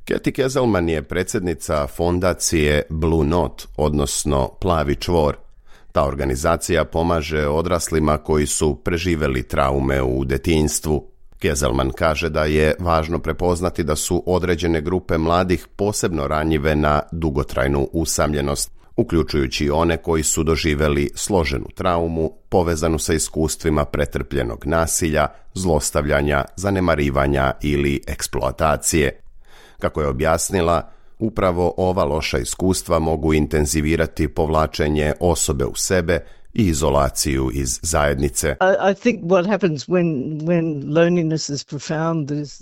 Kathy Kezelman je predsjednica fondacije Blue Note, odnosno Plavi čvor. Ta organizacija pomaže odraslima koji su preživjeli traume u detinjstvu. Kezelman kaže da je važno prepoznati da su određene grupe mladih posebno ranjive na dugotrajnu usamljenost, uključujući one koji su doživjeli složenu traumu povezanu sa iskustvima pretrpljenog nasilja, zlostavljanja, zanemarivanja ili eksploatacije. Kako je objasnila, upravo ova loša iskustva mogu intenzivirati povlačenje osobe u sebe i izolaciju iz zajednice.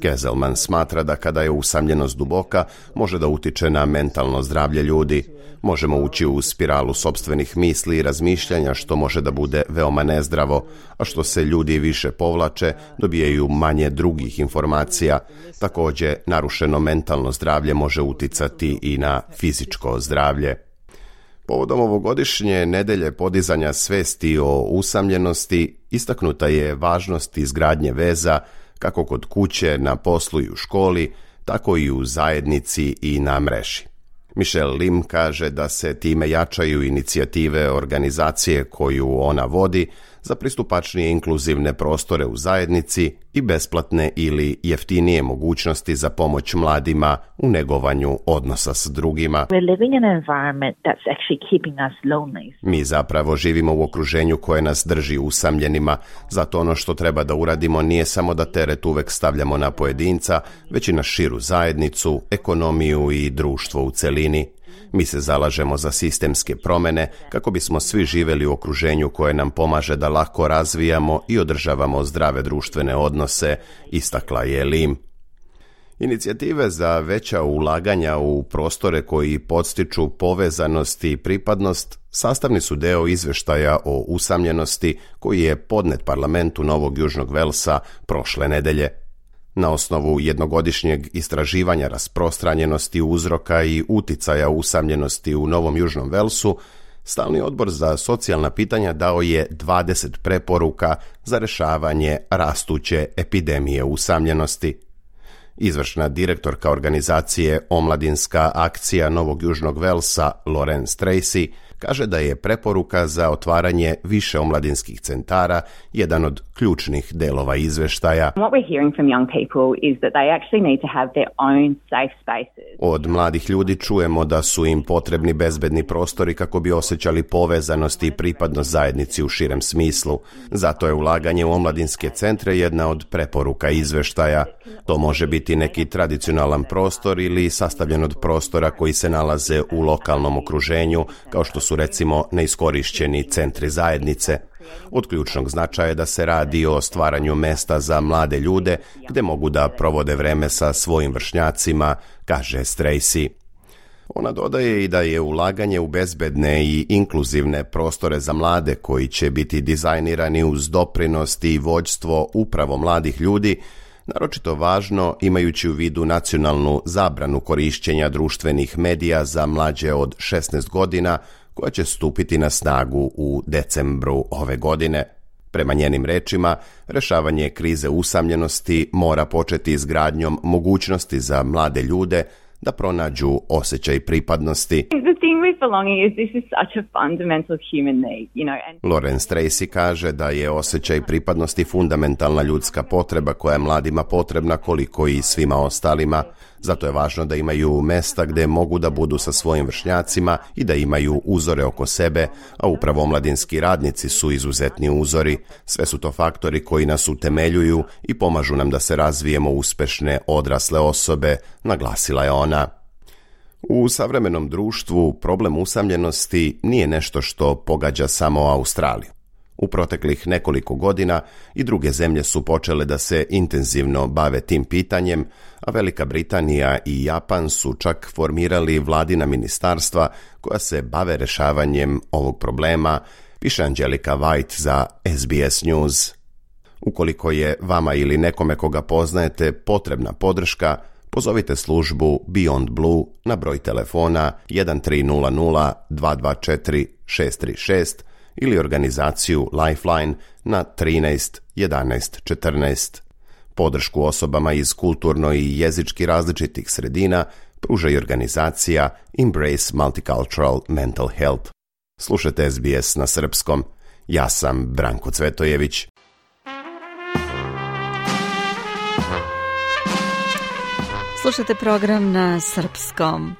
Kezelman smatra da kada je usamljenost duboka, može da utiče na mentalno zdravlje ljudi. Možemo ući u spiralu sopstvenih misli i razmišljanja, što može da bude veoma nezdravo, a što se ljudi više povlače, dobijaju manje drugih informacija. Također, narušeno mentalno zdravlje može uticati i na fizičko zdravlje. Povodom ovogodišnje nedelje podizanja svesti o usamljenosti istaknuta je važnost izgradnje veza kako kod kuće, na poslu i u školi, tako i u zajednici i na mreži. Michelle Lim kaže da se time jačaju inicijative organizacije koju ona vodi za pristupačnije inkluzivne prostore u zajednici i besplatne ili jeftinije mogućnosti za pomoć mladima u negovanju odnosa s drugima. Mi zapravo živimo u okruženju koje nas drži usamljenima, zato ono što treba da uradimo nije samo da teret uvek stavljamo na pojedinca, već i na širu zajednicu, ekonomiju i društvo u celini. Mi se zalažemo za sistemske promene kako bismo svi živjeli u okruženju koje nam pomaže da lako razvijamo i održavamo zdrave društvene odnose, istakla je Lim. Inicijative za veća ulaganja u prostore koji podstiču povezanost i pripadnost sastavni su deo izveštaja o usamljenosti koji je podnet parlamentu Novog Južnog Velsa prošle nedelje. Na osnovu jednogodišnjeg istraživanja rasprostranjenosti uzroka i uticaja usamljenosti u Novom Južnom Velsu, Stalni odbor za socijalna pitanja dao je 20 preporuka za rešavanje rastuće epidemije usamljenosti. Izvršna direktorka organizacije Omladinska akcija Novog Južnog Velsa, Lorenz Tracy, kaže da je preporuka za otvaranje više omladinskih centara jedan od ključnih delova izveštaja. Od mladih ljudi čujemo da su im potrebni bezbedni prostori kako bi osjećali povezanost i pripadnost zajednici u širem smislu. Zato je ulaganje u omladinske centre jedna od preporuka izveštaja. To može biti neki tradicionalan prostor ili sastavljen od prostora koji se nalaze u lokalnom okruženju, kao što su recimo neiskorišćeni centri zajednice. Od ključnog značaja je da se radi o stvaranju mesta za mlade ljude gde mogu da provode vreme sa svojim vršnjacima, kaže Tracy. Ona dodaje i da je ulaganje u bezbedne i inkluzivne prostore za mlade koji će biti dizajnirani uz doprinos i vođstvo upravo mladih ljudi naročito važno imajući u vidu nacionalnu zabranu korišćenja društvenih medija za mlađe od 16 godina koja će stupiti na snagu u decembru ove godine. Prema njenim rečima, rešavanje krize usamljenosti mora početi izgradnjom mogućnosti za mlade ljude da pronađu osjećaj pripadnosti. Lorenz Tracy kaže da je osjećaj pripadnosti fundamentalna ljudska potreba koja je mladima potrebna koliko i svima ostalima. Zato je važno da imaju mesta gde mogu da budu sa svojim vršnjacima i da imaju uzore oko sebe, a upravo omladinski radnici su izuzetni uzori. Sve su to faktori koji nas utemeljuju i pomažu nam da se razvijemo uspešne odrasle osobe, naglasila je ona. U savremenom društvu problem usamljenosti nije nešto što pogađa samo Australiju. U proteklih nekoliko godina i druge zemlje su počele da se intenzivno bave tim pitanjem, a Velika Britanija i Japan su čak formirali vladina ministarstva koja se bave rešavanjem ovog problema, piše Angelika White za SBS News. Ukoliko je vama ili nekome koga poznajete potrebna podrška, pozovite službu Beyond Blue na broj telefona 1300 224 636 ili organizaciju Lifeline na 13 11 14. Podršku osobama iz kulturno i jezički različitih sredina pruža i organizacija Embrace Multicultural Mental Health. Slušajte SBS na srpskom. Ja sam Branko Cvetojević. Slušate program na srpskom.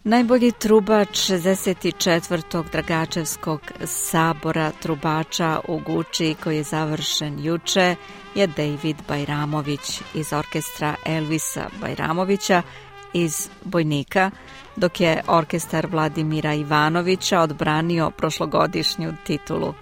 Najbolji trubač 64. Dragačevskog sabora trubača u Guči koji je završen juče je David Bajramović iz orkestra Elvisa Bajramovića iz Bojnika, dok je orkestar Vladimira Ivanovića odbranio prošlogodišnju titulu.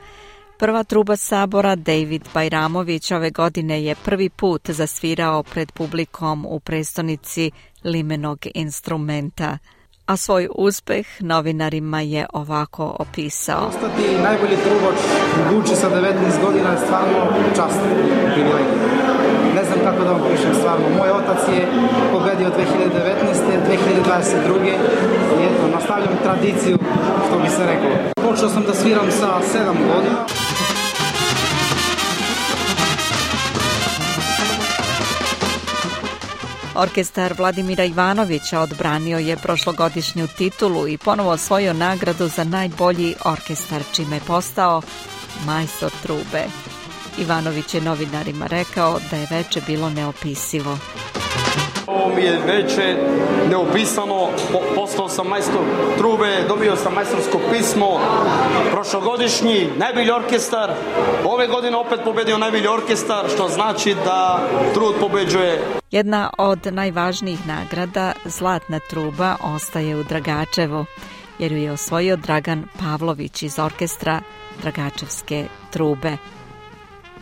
Prva truba sabora David Bajramović ove godine je prvi put zasvirao pred publikom u prestonici limenog instrumenta, a svoj uspeh novinarima je ovako opisao. Ostati najbolji trubač u Guči sa 19 godina je stvarno čast i privilegija. Ne znam kako da vam pišem stvarno. Moj otac je pobedio 2019. 2022. I eto, nastavljam tradiciju, što bi se reklo. Počeo sam da sviram sa 7 godina. Orkestar Vladimira Ivanovića odbranio je prošlogodišnju titulu i ponovo osvojio nagradu za najbolji orkestar, čime je postao majstor trube. Ivanović je novinarima rekao da je veče bilo neopisivo. Ovo mi je veče neopisano, postao sam majstor trube, dobio sam majstorsko pismo, prošlogodišnji najbolji orkestar, ove godine opet pobedio najbolji orkestar, što znači da trud pobeđuje. Jedna od najvažnijih nagrada, Zlatna truba, ostaje u Dragačevu, jer ju je osvojio Dragan Pavlović iz orkestra Dragačevske trube.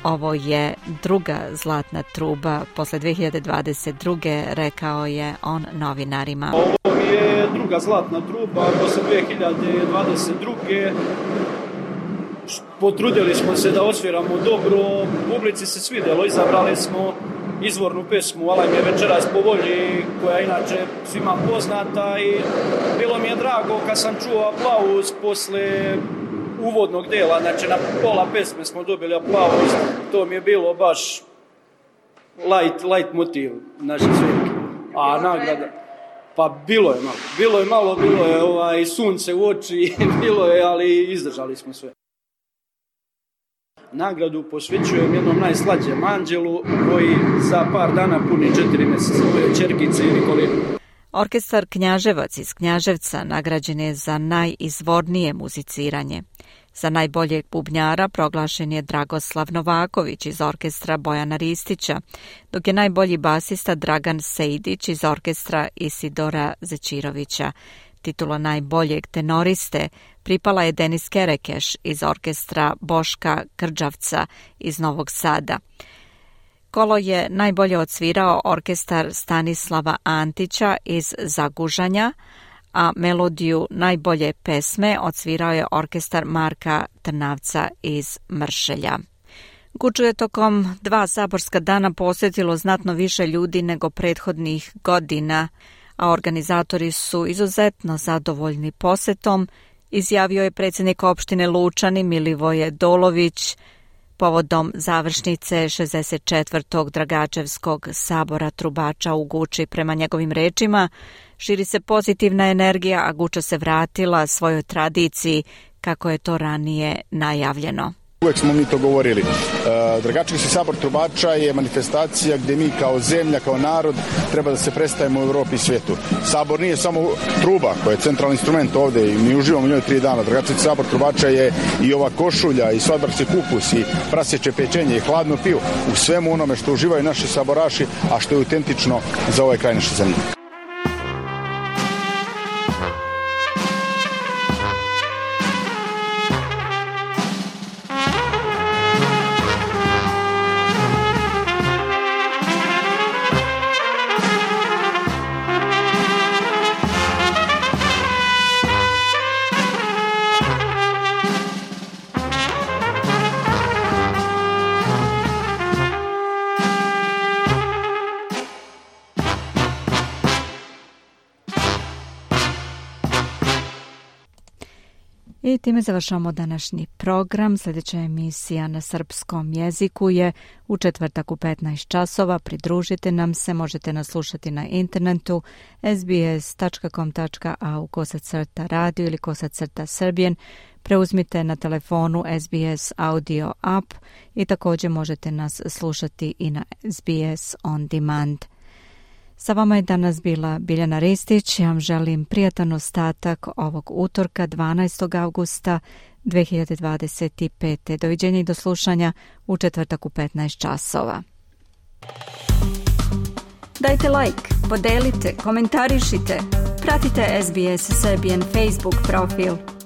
Ovo je druga Zlatna truba posle 2022. rekao je on novinarima. Ovo je druga Zlatna truba posle 2022. Potrudili smo se da osviramo dobro, publici se svidjelo, izabrali smo izvornu pesmu Alaj me večeras po volji, koja je inače svima poznata i bilo mi je drago kad sam čuo aplauz posle uvodnog dela, znači na pola pesme smo dobili aplauz, to mi je bilo baš light motiv naše svirke. A nagrada, pa bilo je sunce u oči, bilo je, ali izdržali smo sve. Nagradu posvećujem jednom najslađem anđelu koji za par dana puni 4 mjeseca, moje ćerkice i Nikolinu. Orkestar Knjaževac iz Knjaževca nagrađen je za najizvornije muziciranje. Za najboljeg bubnjara proglašen je Dragoslav Novaković iz orkestra Bojana Ristića, dok je najbolji basista Dragan Sejdić iz orkestra Isidora Zećirovića. Titula najboljeg tenoriste pripala je Denis Kerekeš iz orkestra Boška Krđavca iz Novog Sada. Kolo je najbolje odsvirao orkestar Stanislava Antića iz Zagužanja, a melodiju najbolje pesme odsvirao je orkestar Marka Trnavca iz Mršelja. Guču je tokom 2 saborska dana posjetilo znatno više ljudi nego prethodnih godina, a organizatori su izuzetno zadovoljni posetom, izjavio je predsjednik opštine Lučani Milivoje Dolović povodom završnice 64. Dragačevskog sabora trubača u Guči. Prema njegovim rečima, širi se pozitivna energija, a Guča se vratila svojoj tradiciji kako je to ranije najavljeno. Uvijek smo mi to govorili. Dragačevski sabor trubača je manifestacija gdje mi kao zemlja, kao narod treba da se predstavimo u Evropi i svijetu. Sabor nije samo truba koja je centralni instrument ovdje i mi uživamo u njoj 3 dana. Dragačevski sabor trubača je i ova košulja i svadbarski kupus i prasječe pečenje i hladno pivo u svemu onome što uživaju naši saboraši, a što je autentično za ovaj kraj naše zemlje. I time završamo današnji program. Sljedeća emisija na srpskom jeziku je u četvrtak u 15 časova. Pridružite nam se, možete nas slušati na internetu sbs.com.au/radio ili /Serbian. Preuzmite na telefonu SBS Audio app i također možete nas slušati i na SBS On Demand. Sa vama je danas bila Biljana Ristić. Ja vam želim prijatan ostatak ovog utorka 12. augusta 2025. Doviđenja i do slušanja u četvrtak u 15 časova. Dajte like, podelite, komentarišite. Pratite SBS Serbian Facebook profil.